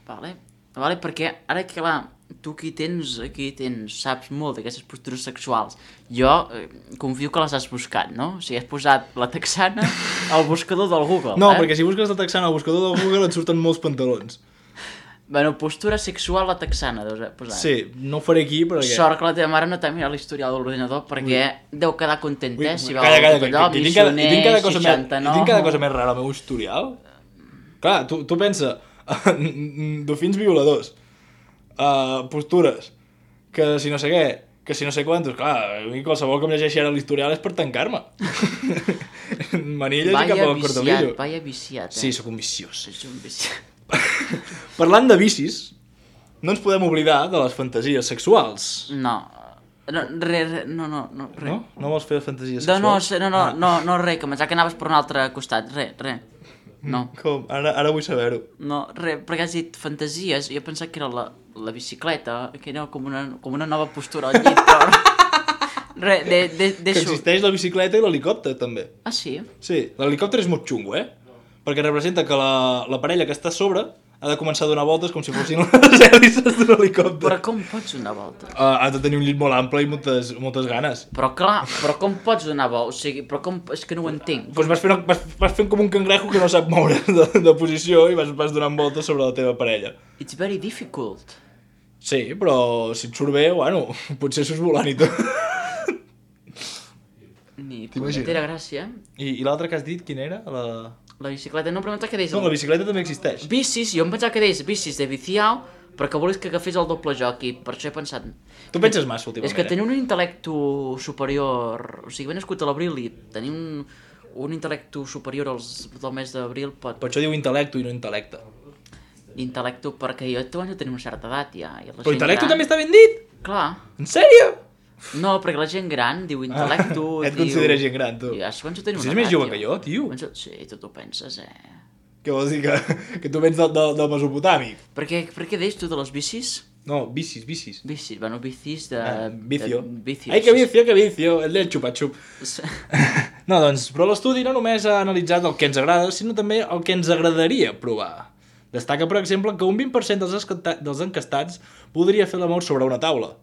Speaker 4: Vale, vale, perquè ara que clar, tu aquí tens, aquí tens, saps molt d'aquestes postures sexuals. Jo eh, confio que les has buscat, no? O sigui, has posat la texana al buscador del Google,
Speaker 3: no,
Speaker 4: eh?
Speaker 3: perquè si busques la texana al buscador del Google et surten molts pantalons.
Speaker 4: Bueno, postura sexual la texana, deus haver posat.
Speaker 3: Sí, no ho faré aquí, perquè...
Speaker 4: Sort que la teva mare no t'ha mirat l'historial de l'ordinador, perquè Ui. deu quedar content, eh? Si
Speaker 3: calla, calla,
Speaker 4: tot allò,
Speaker 3: que, que, que,
Speaker 4: missioner,
Speaker 3: tinc cada cosa
Speaker 4: seixanta-nou...
Speaker 3: Més, tinc cada cosa més rara al meu historial. Clar, tu, tu pensa, dofins violadors, uh, postures, que si no sé què, que si no sé quantos, clar, a mi qualsevol que em llegeixi ara l'historial és per tancar-me. Manilles i cap al cortolillo.
Speaker 4: Vaya viciat, eh?
Speaker 3: Sí, sóc un viciós.
Speaker 4: És un viciat.
Speaker 3: Parlant de vicis, no ens podem oblidar de les fantasies sexuals.
Speaker 4: No, no, re, re, no, no, no, re.
Speaker 3: No? No vols fer fantasies
Speaker 4: No, no,
Speaker 3: sexuals?
Speaker 4: no, no,
Speaker 3: Ah.
Speaker 4: no, no, re, que pensava que anaves per un altre costat, re, re. No,
Speaker 3: Com? Ara, ara vull saber-ho.
Speaker 4: no, re, perquè has dit fantasies, jo pensava que era la, la bicicleta, que era com una, com una nova postura al llit, però... Re, de, de,
Speaker 3: Que
Speaker 4: deixo...
Speaker 3: existeix la bicicleta i l'helicòpter, també.
Speaker 4: Ah, sí?
Speaker 3: Sí, l'helicòpter és molt xungo, eh? Perquè representa que la, la parella que està a sobre ha de començar a donar voltes com si fossin les hèlices d'un helicòpter.
Speaker 4: Però com pots donar voltes?
Speaker 3: Uh, ha de tenir un llit molt ample i moltes, moltes ganes.
Speaker 4: Però clar, però com pots donar voltes? O sigui, però com... És que no ho entenc.
Speaker 3: Doncs vas fent, vas, vas fent com un cangrejo que no sap moure de, de posició i vas, vas donant voltes sobre la teva parella.
Speaker 4: It's very difficult.
Speaker 3: Sí, però si et surt bé, bueno, potser surts volant i tot.
Speaker 4: Ni
Speaker 3: T'imagines?
Speaker 4: punyetera gràcia.
Speaker 3: I, i l'altre que has dit, quin era? La...
Speaker 4: La bicicleta, no, però em pensava que deies...
Speaker 3: No, la bicicleta també existeix.
Speaker 4: Bicis, jo em pensava que deies bicis de viciau, però que volies que agafés el doble joc i per això he pensat...
Speaker 3: Tu penses massa últimament,
Speaker 4: És que
Speaker 3: eh?
Speaker 4: tenir un intel·lecto superior... O sigui, ben nascut a l'abril i tenir un, un intel·lecto superior als, del mes d'abril pot...
Speaker 3: Per això diu intel·lecto i no intel·lecte.
Speaker 4: Intel·lecto, perquè jo també tenim una certa edat ja. I la
Speaker 3: Però
Speaker 4: gent
Speaker 3: intel·lecto
Speaker 4: gran-
Speaker 3: també està ben dit!
Speaker 4: Clar.
Speaker 3: En sèrio?
Speaker 4: No, perquè la gent gran diu intel·lecto...
Speaker 3: Ah, et
Speaker 4: diu...
Speaker 3: consideres gent gran, tu.
Speaker 4: Ja, començo a tenir
Speaker 3: Si
Speaker 4: una
Speaker 3: és més
Speaker 4: edat,
Speaker 3: jove que jo, tio.
Speaker 4: Començo... Sí, tu t'ho penses, eh?
Speaker 3: Què vols dir, que, que tu vens del, del, del Mesopotàmic?
Speaker 4: Per què, per què deies tu de les bicis?
Speaker 3: No, bicis, bicis.
Speaker 4: Bicis, bueno, bicis de...
Speaker 3: Ah, vicio.
Speaker 4: De vicios.
Speaker 3: Ai, que vicio, que vicio, el del xupa-xup. No, doncs, però l'estudi no només ha analitzat el que ens agrada, sinó també el que ens agradaria provar. Destaca, per exemple, que un vint per cent dels, escata- dels encastats podria fer l'amor sobre una taula.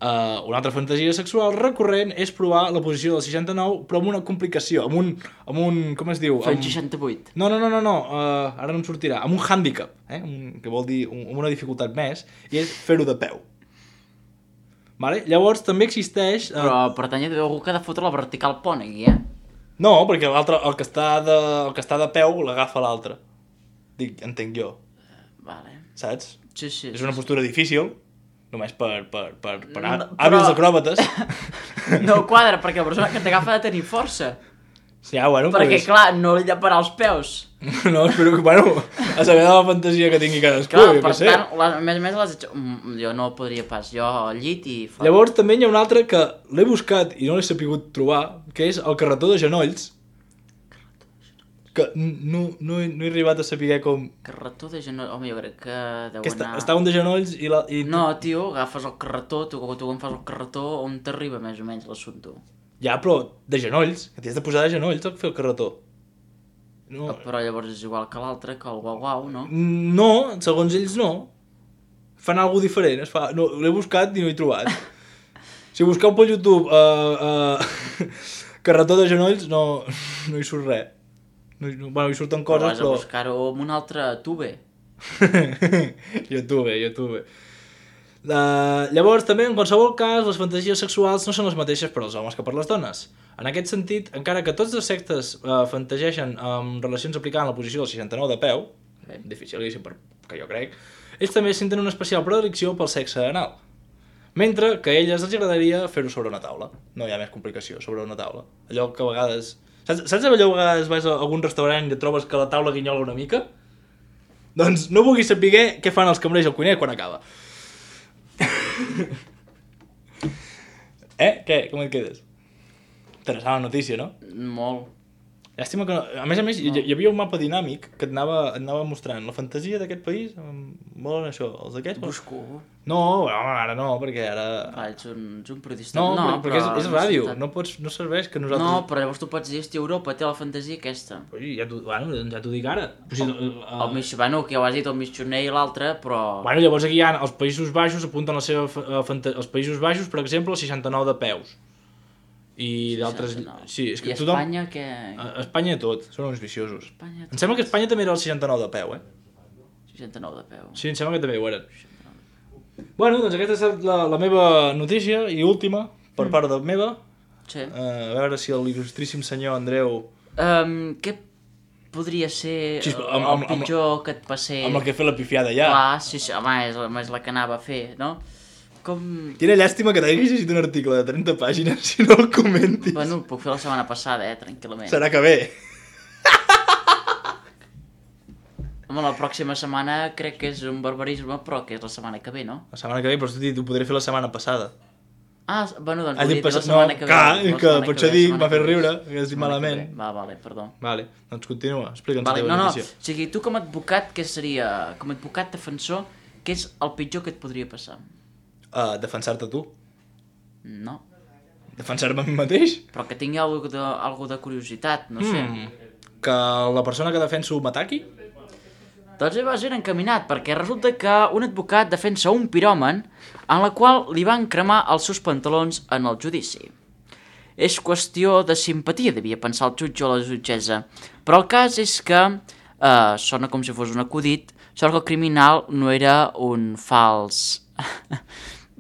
Speaker 3: Uh, una altra fantasia sexual recurrent és provar la posició del seixanta-nou, però amb una complicació, amb un... Amb un com es diu?
Speaker 4: Fent
Speaker 3: Amb...
Speaker 4: seixanta-vuit.
Speaker 3: No, no, no, no, no. Uh, ara no em sortirà. Amb un hàndicap, eh? Un, que vol dir un, amb una dificultat més, i és fer-ho de peu. Vale? Llavors també existeix... Uh...
Speaker 4: Però per tant hi ha algú que ha de fotre la vertical pont aquí, eh?
Speaker 3: No, perquè l'altre, el que està de, el que està de peu l'agafa l'altre. Dic, entenc jo,
Speaker 4: Vale.
Speaker 3: saps?
Speaker 4: Sí, sí.
Speaker 3: És una postura difícil, només per, per, per, per
Speaker 4: No,
Speaker 3: no,
Speaker 4: però-
Speaker 3: hàbils acròbates.
Speaker 4: No quadra, perquè la persona que t'agafa ha de tenir força.
Speaker 3: Ja, bueno,
Speaker 4: Perquè,
Speaker 3: pues...
Speaker 4: clar, no li llaparà els peus.
Speaker 3: No, espero que, bueno, a saber de la fantasia que tingui cadascú,
Speaker 4: Clar,
Speaker 3: jo
Speaker 4: per
Speaker 3: què sé.
Speaker 4: tant, la, a més a més, les... Mm, jo no podria pas. Jo al llit i... fora.
Speaker 3: Llavors també hi ha un altre que l'he buscat i no l'he sapigut trobar, que és el carretó de genolls, que no, no, he, no he arribat a saber com...
Speaker 4: Carretó de genoll... Home, jo crec que deu
Speaker 3: Que està,
Speaker 4: anar...
Speaker 3: està un de genolls i... La, i...
Speaker 4: No, tio, agafes el carretó, tu, tu quan fas el carretó, on t'arriba més o menys l'assumpte?
Speaker 3: Ja, però de genolls, que t'hi has de posar de genolls a fer el carretó. No,
Speaker 4: Però llavors és igual que l'altre, que el guau-guau, no?
Speaker 3: no, segons ells no. Fan alguna diferent. Es fa... no, l'he buscat i no he trobat. Si busqueu pel YouTube uh, uh, carretó de genolls, no, no hi surt res. No, hi- bueno, hi surten
Speaker 4: Però
Speaker 3: coses,
Speaker 4: has de
Speaker 3: però...
Speaker 4: buscar-ho amb un altre tube.
Speaker 3: YouTube, YouTube. Uh, llavors, també, en qualsevol cas, les fantasies sexuals no són les mateixes per als homes que per les dones. En aquest sentit, encara que tots els sexes uh, fantasegen amb relacions aplicant la posició del seixanta-nou de peu, eh, dificilíssim per, que jo crec, ells també senten una especial predilecció pel sexe anal. Mentre que a elles els agradaria fer-ho sobre una taula. No hi ha més complicació, sobre una taula. Allò que a vegades... Saps, saps allò que a vegades vas a algun restaurant i et trobes que la taula guinyola una mica? Doncs no vulguis saber què fan els cambrers al cuiner quan acaba. Eh? Què? Com et quedes? Interessant la notícia, no?
Speaker 4: Molt.
Speaker 3: Llàstima que no... A més a més, hi, hi havia un mapa dinàmic que et anava, et anava mostrant la fantasia d'aquest país. Volen això, els d'aquests...
Speaker 4: Busco.
Speaker 3: No, home, ara no, perquè ara...
Speaker 4: Ah, ets un, ets un periodista.
Speaker 3: No, no perquè és, és
Speaker 4: no
Speaker 3: ràdio,
Speaker 4: està-
Speaker 3: no, pots, no serveix que nosaltres...
Speaker 4: No, però llavors tu pots dir, hosti, Europa té la fantasia aquesta.
Speaker 3: Ui, ja t'ho bueno, ja t'ho dic ara. O sigui, el, el,
Speaker 4: El mig, bueno, que ja ho has dit, el missioner i l'altre, però...
Speaker 3: Bueno, llavors aquí hi ha els Països Baixos, apunten la seva fa- eh, fanta... els Països Baixos, per exemple, el seixanta-nou de peus. I d'altres...
Speaker 4: seixanta-nou.
Speaker 3: Sí, és que
Speaker 4: I
Speaker 3: tothom...
Speaker 4: Espanya, què?
Speaker 3: A a Espanya tot, són uns viciosos.
Speaker 4: Espanya,
Speaker 3: Em sembla que Espanya també era el seixanta-nou de peu, eh?
Speaker 4: seixanta-nou de peu.
Speaker 3: Sí, em sembla que també ho eren. Bueno, doncs aquesta és la, la meva notícia i última, per part de meva.
Speaker 4: Sí.
Speaker 3: Uh, a veure si l'il·lustríssim senyor Andreu...
Speaker 4: Um, què podria ser
Speaker 3: Sí,
Speaker 4: el,
Speaker 3: amb- amb-
Speaker 4: el pitjor que et passés.
Speaker 3: Amb el que he fet la pifiada ja.
Speaker 4: Clar, sí, sí, home, és, és la que anava a fer, no? Com...
Speaker 3: Quina llàstima que t'hagis llegit un article de trenta pàgines si no el comentis.
Speaker 4: Bueno, ho puc fer la setmana passada, eh, tranquil·lament.
Speaker 3: Serà que bé.
Speaker 4: Home, la pròxima setmana crec que és un barbarisme, però que és la setmana que ve, no?
Speaker 3: La setmana que ve, però t'he dit, ho podré fer la setmana passada.
Speaker 4: Ah, bueno, doncs
Speaker 3: Has
Speaker 4: volia
Speaker 3: dit
Speaker 4: dir la
Speaker 3: passat...
Speaker 4: setmana
Speaker 3: No,
Speaker 4: que ve.
Speaker 3: clar,
Speaker 4: la
Speaker 3: que
Speaker 4: setmana
Speaker 3: per
Speaker 4: que
Speaker 3: això
Speaker 4: ve,
Speaker 3: dic,
Speaker 4: la
Speaker 3: m'ha fet
Speaker 4: setmana que
Speaker 3: riure,
Speaker 4: ve.
Speaker 3: que has dit
Speaker 4: Setmana que
Speaker 3: malament.
Speaker 4: ve. Va, vale, perdó.
Speaker 3: Vale, doncs continua, explica'ns
Speaker 4: Vale,
Speaker 3: la teva
Speaker 4: no, no,
Speaker 3: notícia.
Speaker 4: o sigui, tu com a advocat, què seria, com a advocat defensor, què és el pitjor que et podria passar?
Speaker 3: Uh, defensar-te tu.
Speaker 4: No,
Speaker 3: Defensar-me a mi mateix.
Speaker 4: però que tingui algo de, algo de curiositat, no sé.
Speaker 3: Mm. Que la persona que defenso m'ataqui?
Speaker 4: Doncs vas ben encaminat, perquè resulta que un advocat defensa un piròman en la qual li van cremar els seus pantalons en el judici. És qüestió de simpatia, devia pensar el jutge o la jutgessa, però el cas és que eh, sona com si fos un acudit, sort que el criminal no era un fals...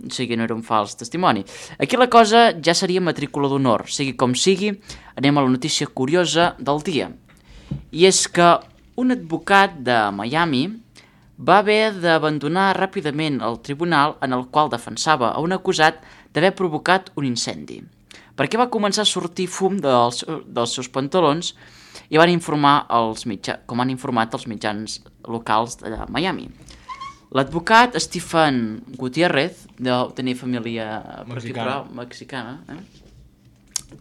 Speaker 4: o sigui, no era un fals testimoni. Aquí la cosa ja seria matrícula d'honor, sigui com sigui, anem a la notícia curiosa del dia. I és que un advocat de Miami va haver d'abandonar ràpidament el tribunal en el qual defensava a un acusat d'haver provocat un incendi, perquè va començar a sortir fum dels, dels seus pantalons i van informar els mitja, com han informat els mitjans locals de Miami. L'advocat Stephen Gutiérrez, deu tenir família particular mexicana, eh?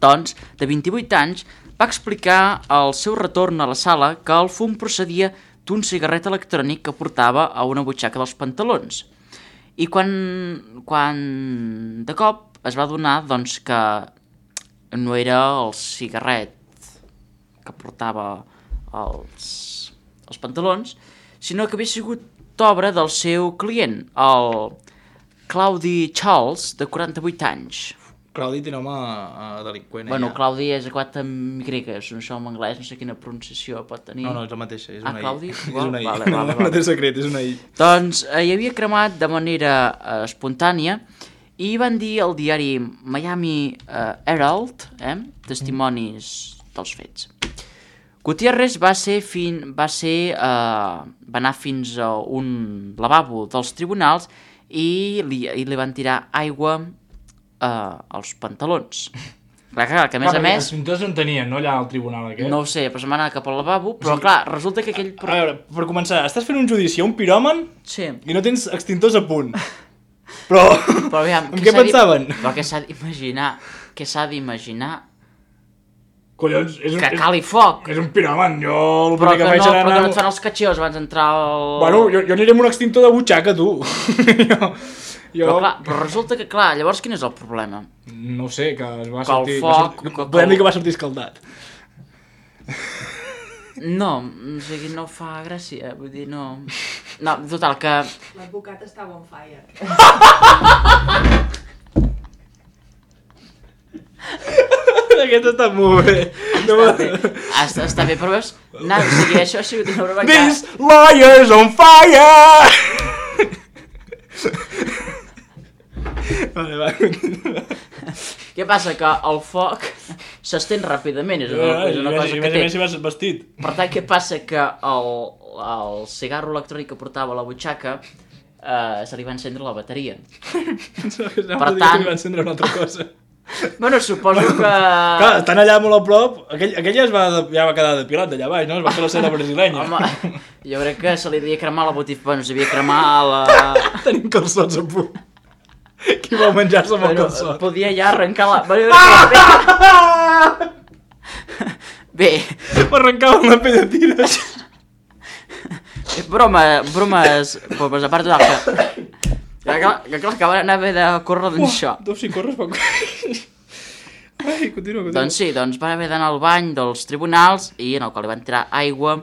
Speaker 4: doncs, de vint-i-vuit anys, va explicar al seu retorn a la sala que el fum procedia d'un cigarret electrònic que portava a una butxaca dels pantalons. I quan, quan de cop es va adonar doncs, que no era el cigarret que portava els, els pantalons, sinó que havia sigut obra del seu client, el Claudi Charles, de quaranta-vuit anys.
Speaker 3: Claudi té home uh, delinqüent.
Speaker 4: Bueno,
Speaker 3: ja.
Speaker 4: Claudi és acabat amb Y, és un això en anglès, no sé quina pronunciació pot tenir.
Speaker 3: No, no, és la mateixa, és
Speaker 4: Ah,
Speaker 3: una I.
Speaker 4: Claudi?
Speaker 3: És
Speaker 4: Igual?
Speaker 3: una I.
Speaker 4: Vale, vale,
Speaker 3: No,
Speaker 4: vale.
Speaker 3: no té secret, és una I.
Speaker 4: Doncs eh, hi havia cremat de manera eh, espontània i van dir al diari Miami eh, Herald, eh, testimonis dels fets. Gutiérrez va ser fin, va ser eh, va anar fins a un lavabo dels tribunals i li, i li van tirar aigua eh, als pantalons. Clar, clar, que a més
Speaker 3: clar,
Speaker 4: a més...
Speaker 3: Els pintors no en tenien, no, allà al tribunal aquest?
Speaker 4: No ho sé, però se'n va anar cap al lavabo, però
Speaker 3: Sí.
Speaker 4: clar, resulta que aquell...
Speaker 3: A veure, per començar, estàs fent un judici a un piròman
Speaker 4: Sí.
Speaker 3: i no tens extintors a punt. Però...
Speaker 4: Però aviam,
Speaker 3: en què
Speaker 4: s'ha
Speaker 3: pensaven?
Speaker 4: Di... Però què s'ha d'imaginar? Què s'ha d'imaginar?
Speaker 3: Collons, és un,
Speaker 4: Que cali foc!
Speaker 3: és, és un piròman, jo el
Speaker 4: Però
Speaker 3: primer
Speaker 4: que,
Speaker 3: que faig
Speaker 4: no,
Speaker 3: serà
Speaker 4: però que
Speaker 3: anar...
Speaker 4: no et fan els catxeos abans d'entrar al...
Speaker 3: Bueno, jo, jo aniré amb un extintor de butxaca, tu. jo, jo...
Speaker 4: Però, clar, però resulta que, clar, llavors quin és el problema?
Speaker 3: No ho sé, que es va
Speaker 4: Que el
Speaker 3: sortir...
Speaker 4: foc,
Speaker 3: va sortir...
Speaker 4: que-
Speaker 3: Podem
Speaker 4: que-
Speaker 3: dir que va sortir escaldat.
Speaker 4: No, o sigui, no fa gràcia, vull dir, no... No, total, que...
Speaker 6: L'advocat estava on fire.
Speaker 3: Aquest està molt bé. No
Speaker 4: Està bé, està, està bé, però veus? No, o sigui, això ha sigut una broma que...
Speaker 3: This lawyer's on fire! vale, va, continua.
Speaker 4: Què passa? Que el foc s'estén ràpidament, és una, és una cosa
Speaker 3: I
Speaker 4: que
Speaker 3: més a
Speaker 4: té.
Speaker 3: més si vas vestit.
Speaker 4: Per tant, què passa? Que el, el cigarro electrònic que portava a la butxaca eh, se li va encendre la bateria.
Speaker 3: Per
Speaker 4: tant-
Speaker 3: tant... Va encendre una altra cosa.
Speaker 4: Bueno, suposo que...
Speaker 3: Clar, estan allà molt a prop, aquell, aquell ja, es va, ja va quedar depilat d'allà baix, no? Es va fer la cera brasilenya.
Speaker 4: Home, jo crec que se li devia cremar la botifa... Bueno, se li devia cremar la...
Speaker 3: Tenim calçots a punt. Qui vol menjar-se amb el
Speaker 4: Bueno,
Speaker 3: calçot?
Speaker 4: podia ja arrencar la... Bueno, bé,
Speaker 3: Per arrencar una pell de tires.
Speaker 4: broma, bromes... Bromes, a part de que... Que clar, que clar, que van anar a haver de córrer d'això.
Speaker 3: Tu si corres poc. Ai, continua, continua.
Speaker 4: Doncs sí, doncs van haver d'anar al bany dels tribunals i en el qual li van tirar aigua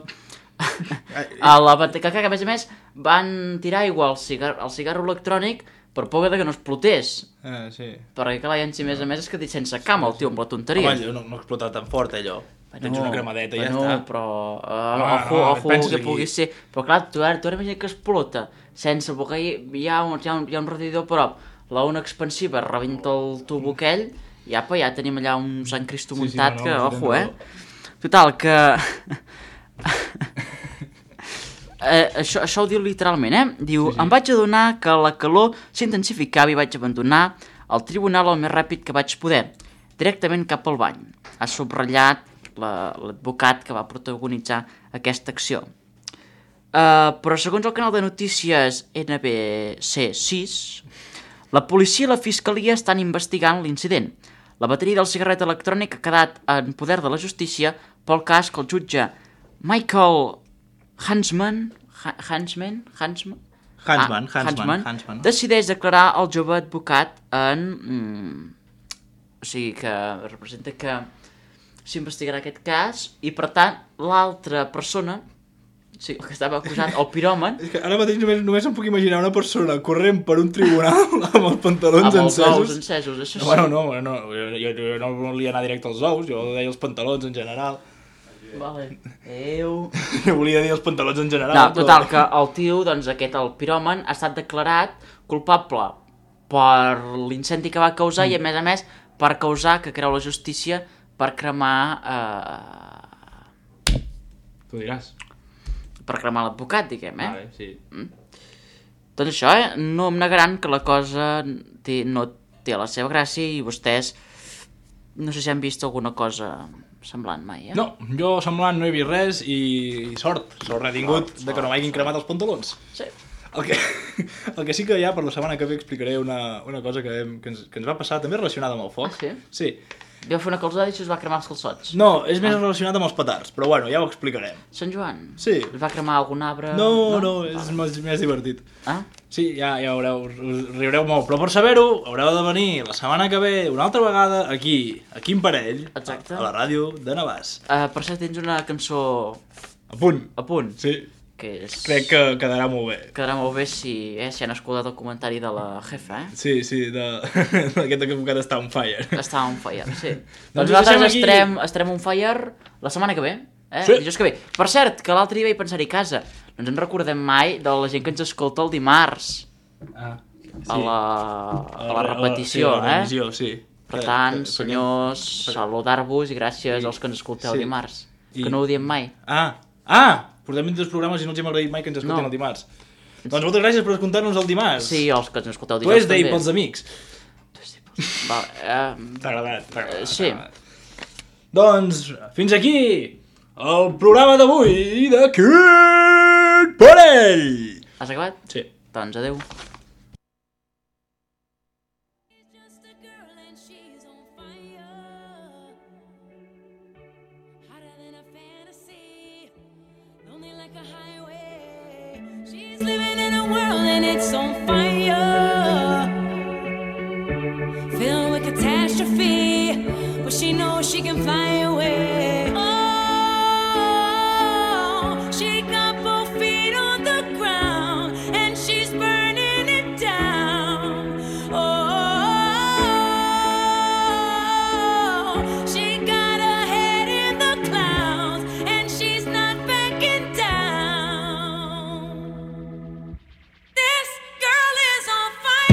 Speaker 4: a la bateria, que a més a més van tirar aigua al, cigar al cigarro electrònic per por de que no explotés.
Speaker 3: Ah, sí.
Speaker 4: Perquè clar, i a més a més és que dit sense cama el tio amb la tonteria.
Speaker 3: Home, no, no explota tan fort allò. Tens una cremadeta i ja
Speaker 4: bueno,
Speaker 3: està.
Speaker 4: però uh,
Speaker 3: Home,
Speaker 4: ojo,
Speaker 3: no,
Speaker 4: ojo
Speaker 3: penses
Speaker 4: que
Speaker 3: aquí.
Speaker 4: pugui ser. Però clar, tu ara, tu ara imagina que explota sense perquè hi, hi, ha un, hi, ha un, hi ha un radiador a prop, la ona expansiva rebenta el tubo aquell i apa, ja tenim allà un Sant Cristo
Speaker 3: Sí, sí,
Speaker 4: muntat
Speaker 3: no, no,
Speaker 4: que,
Speaker 3: no,
Speaker 4: ojo,
Speaker 3: no,
Speaker 4: eh? Total, que eh, això, això ho diu literalment, eh? Diu, sí, sí. Em vaig adonar que la calor s'intensificava i vaig abandonar el tribunal el més ràpid que vaig poder, directament cap al bany. Ha subratllat l'advocat que va protagonitzar aquesta acció. Uh, però segons el canal de notícies N B C sis, la policia i la fiscalia estan investigant l'incident. La bateria del cigarret electrònic ha quedat en poder de la justícia pel cas que el jutge Michael Hansman Hansman Hansman
Speaker 3: Hansman,
Speaker 4: ah,
Speaker 3: Hansman, Hansman
Speaker 4: decideix declarar el jove advocat en... Mm, o sigui que representa que s'investigarà aquest cas i per tant l'altra persona, sí, que estava acusat, el piròman...
Speaker 3: És que ara mateix només, només em puc imaginar una persona corrent per un tribunal amb els pantalons
Speaker 4: amb els
Speaker 3: encesos.
Speaker 4: ous encesos, això sí.
Speaker 3: Bueno, no, no, jo, jo, jo no volia anar directe als ous, jo deia els pantalons en general.
Speaker 4: Vale. Eu...
Speaker 3: Jo volia dir els pantalons en general.
Speaker 4: No, total, que el tio, doncs aquest, el piròman, ha estat declarat culpable per l'incendi que va causar mm. i, a més a més, per causar, que creu la justícia, per cremar... Eh...
Speaker 3: Tu diràs.
Speaker 4: Per cremar l'advocat, diguem, eh?
Speaker 3: Vale, sí.
Speaker 4: Mm. Doncs això, eh? No em negaran que la cosa té, no té la seva gràcia i vostès no sé si han vist alguna cosa semblant mai, eh?
Speaker 3: No, jo semblant no he vist res i sort, sort he tingut de que no m'hagin cremat els pantalons.
Speaker 4: Sí.
Speaker 3: El que, el que sí que ja per la setmana que ve explicaré una, una cosa que, hem, que, ens, que ens va passar també relacionada amb el foc.
Speaker 4: Ah, sí?
Speaker 3: Sí.
Speaker 4: Vau fer una calçada i se us va cremar els calçots.
Speaker 3: No, és més relacionat amb els petards, però bueno, ja ho explicarem.
Speaker 4: Sant Joan?
Speaker 3: Sí.
Speaker 4: Us va cremar algun arbre?
Speaker 3: No, no,
Speaker 4: no
Speaker 3: és ah. més, més divertit.
Speaker 4: Ah?
Speaker 3: Sí, ja, ja veureu, us riureu molt, però per saber-ho haureu de venir la setmana que ve una altra vegada aquí, a Quim Parell,
Speaker 4: exacte,
Speaker 3: a la ràdio de Navàs.
Speaker 4: Uh, per cert, tens una cançó...
Speaker 3: A punt.
Speaker 4: A punt.
Speaker 3: Sí.
Speaker 4: Que és...
Speaker 3: Crec que quedarà molt bé.
Speaker 4: Quedarà molt bé si, eh, si han escoltat el comentari de la jefa, eh?
Speaker 3: Sí, sí, de... d'aquest advocat està on fire.
Speaker 4: Està on fire, sí.
Speaker 3: Doncs
Speaker 4: doncs nosaltres
Speaker 3: aquí...
Speaker 4: estarem, estarem on fire la setmana que ve, eh?
Speaker 3: Sí.
Speaker 4: Dijous que ve. Per cert, que l'altre dia vaig pensar-hi a casa. No ens en recordem mai de la gent que ens escolta el dimarts.
Speaker 3: Ah, sí.
Speaker 4: A la, a la repetició,
Speaker 3: a la, sí, a la revisió,
Speaker 4: eh?
Speaker 3: sí.
Speaker 4: Per tant, senyors, saludar-vos i gràcies als que ens escolteu
Speaker 3: sí.
Speaker 4: dimarts.
Speaker 3: I...
Speaker 4: Que no ho diem mai.
Speaker 3: Ah, ah! Portem vint dos programes i no els hem agraït mai que ens escoltin no. el dimarts. Doncs moltes gràcies per escoltar-nos el dimarts.
Speaker 4: Sí, els que ens escolteu
Speaker 3: dijous també. Tu és d'ahir pels amics.
Speaker 4: Tu és d'ahir pels amics. Vale, uh...
Speaker 3: T'ha agradat, t'ha agradat.
Speaker 4: Sí.
Speaker 3: Doncs, fins aquí el programa d'avui de Quim Parell.
Speaker 4: Has acabat?
Speaker 3: Sí.
Speaker 4: Doncs adeu.
Speaker 7: Living in a world and it's on fire, filled with catastrophe, but she knows she can fly away. Oh, she got both feet on the ground and she's burning it down. Oh, she got her head in the clouds and she's not backing down. This girl is on fire.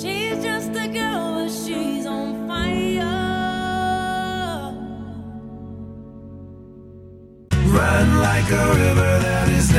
Speaker 7: She's just a girl, but she's on fire.
Speaker 8: Run like a river that is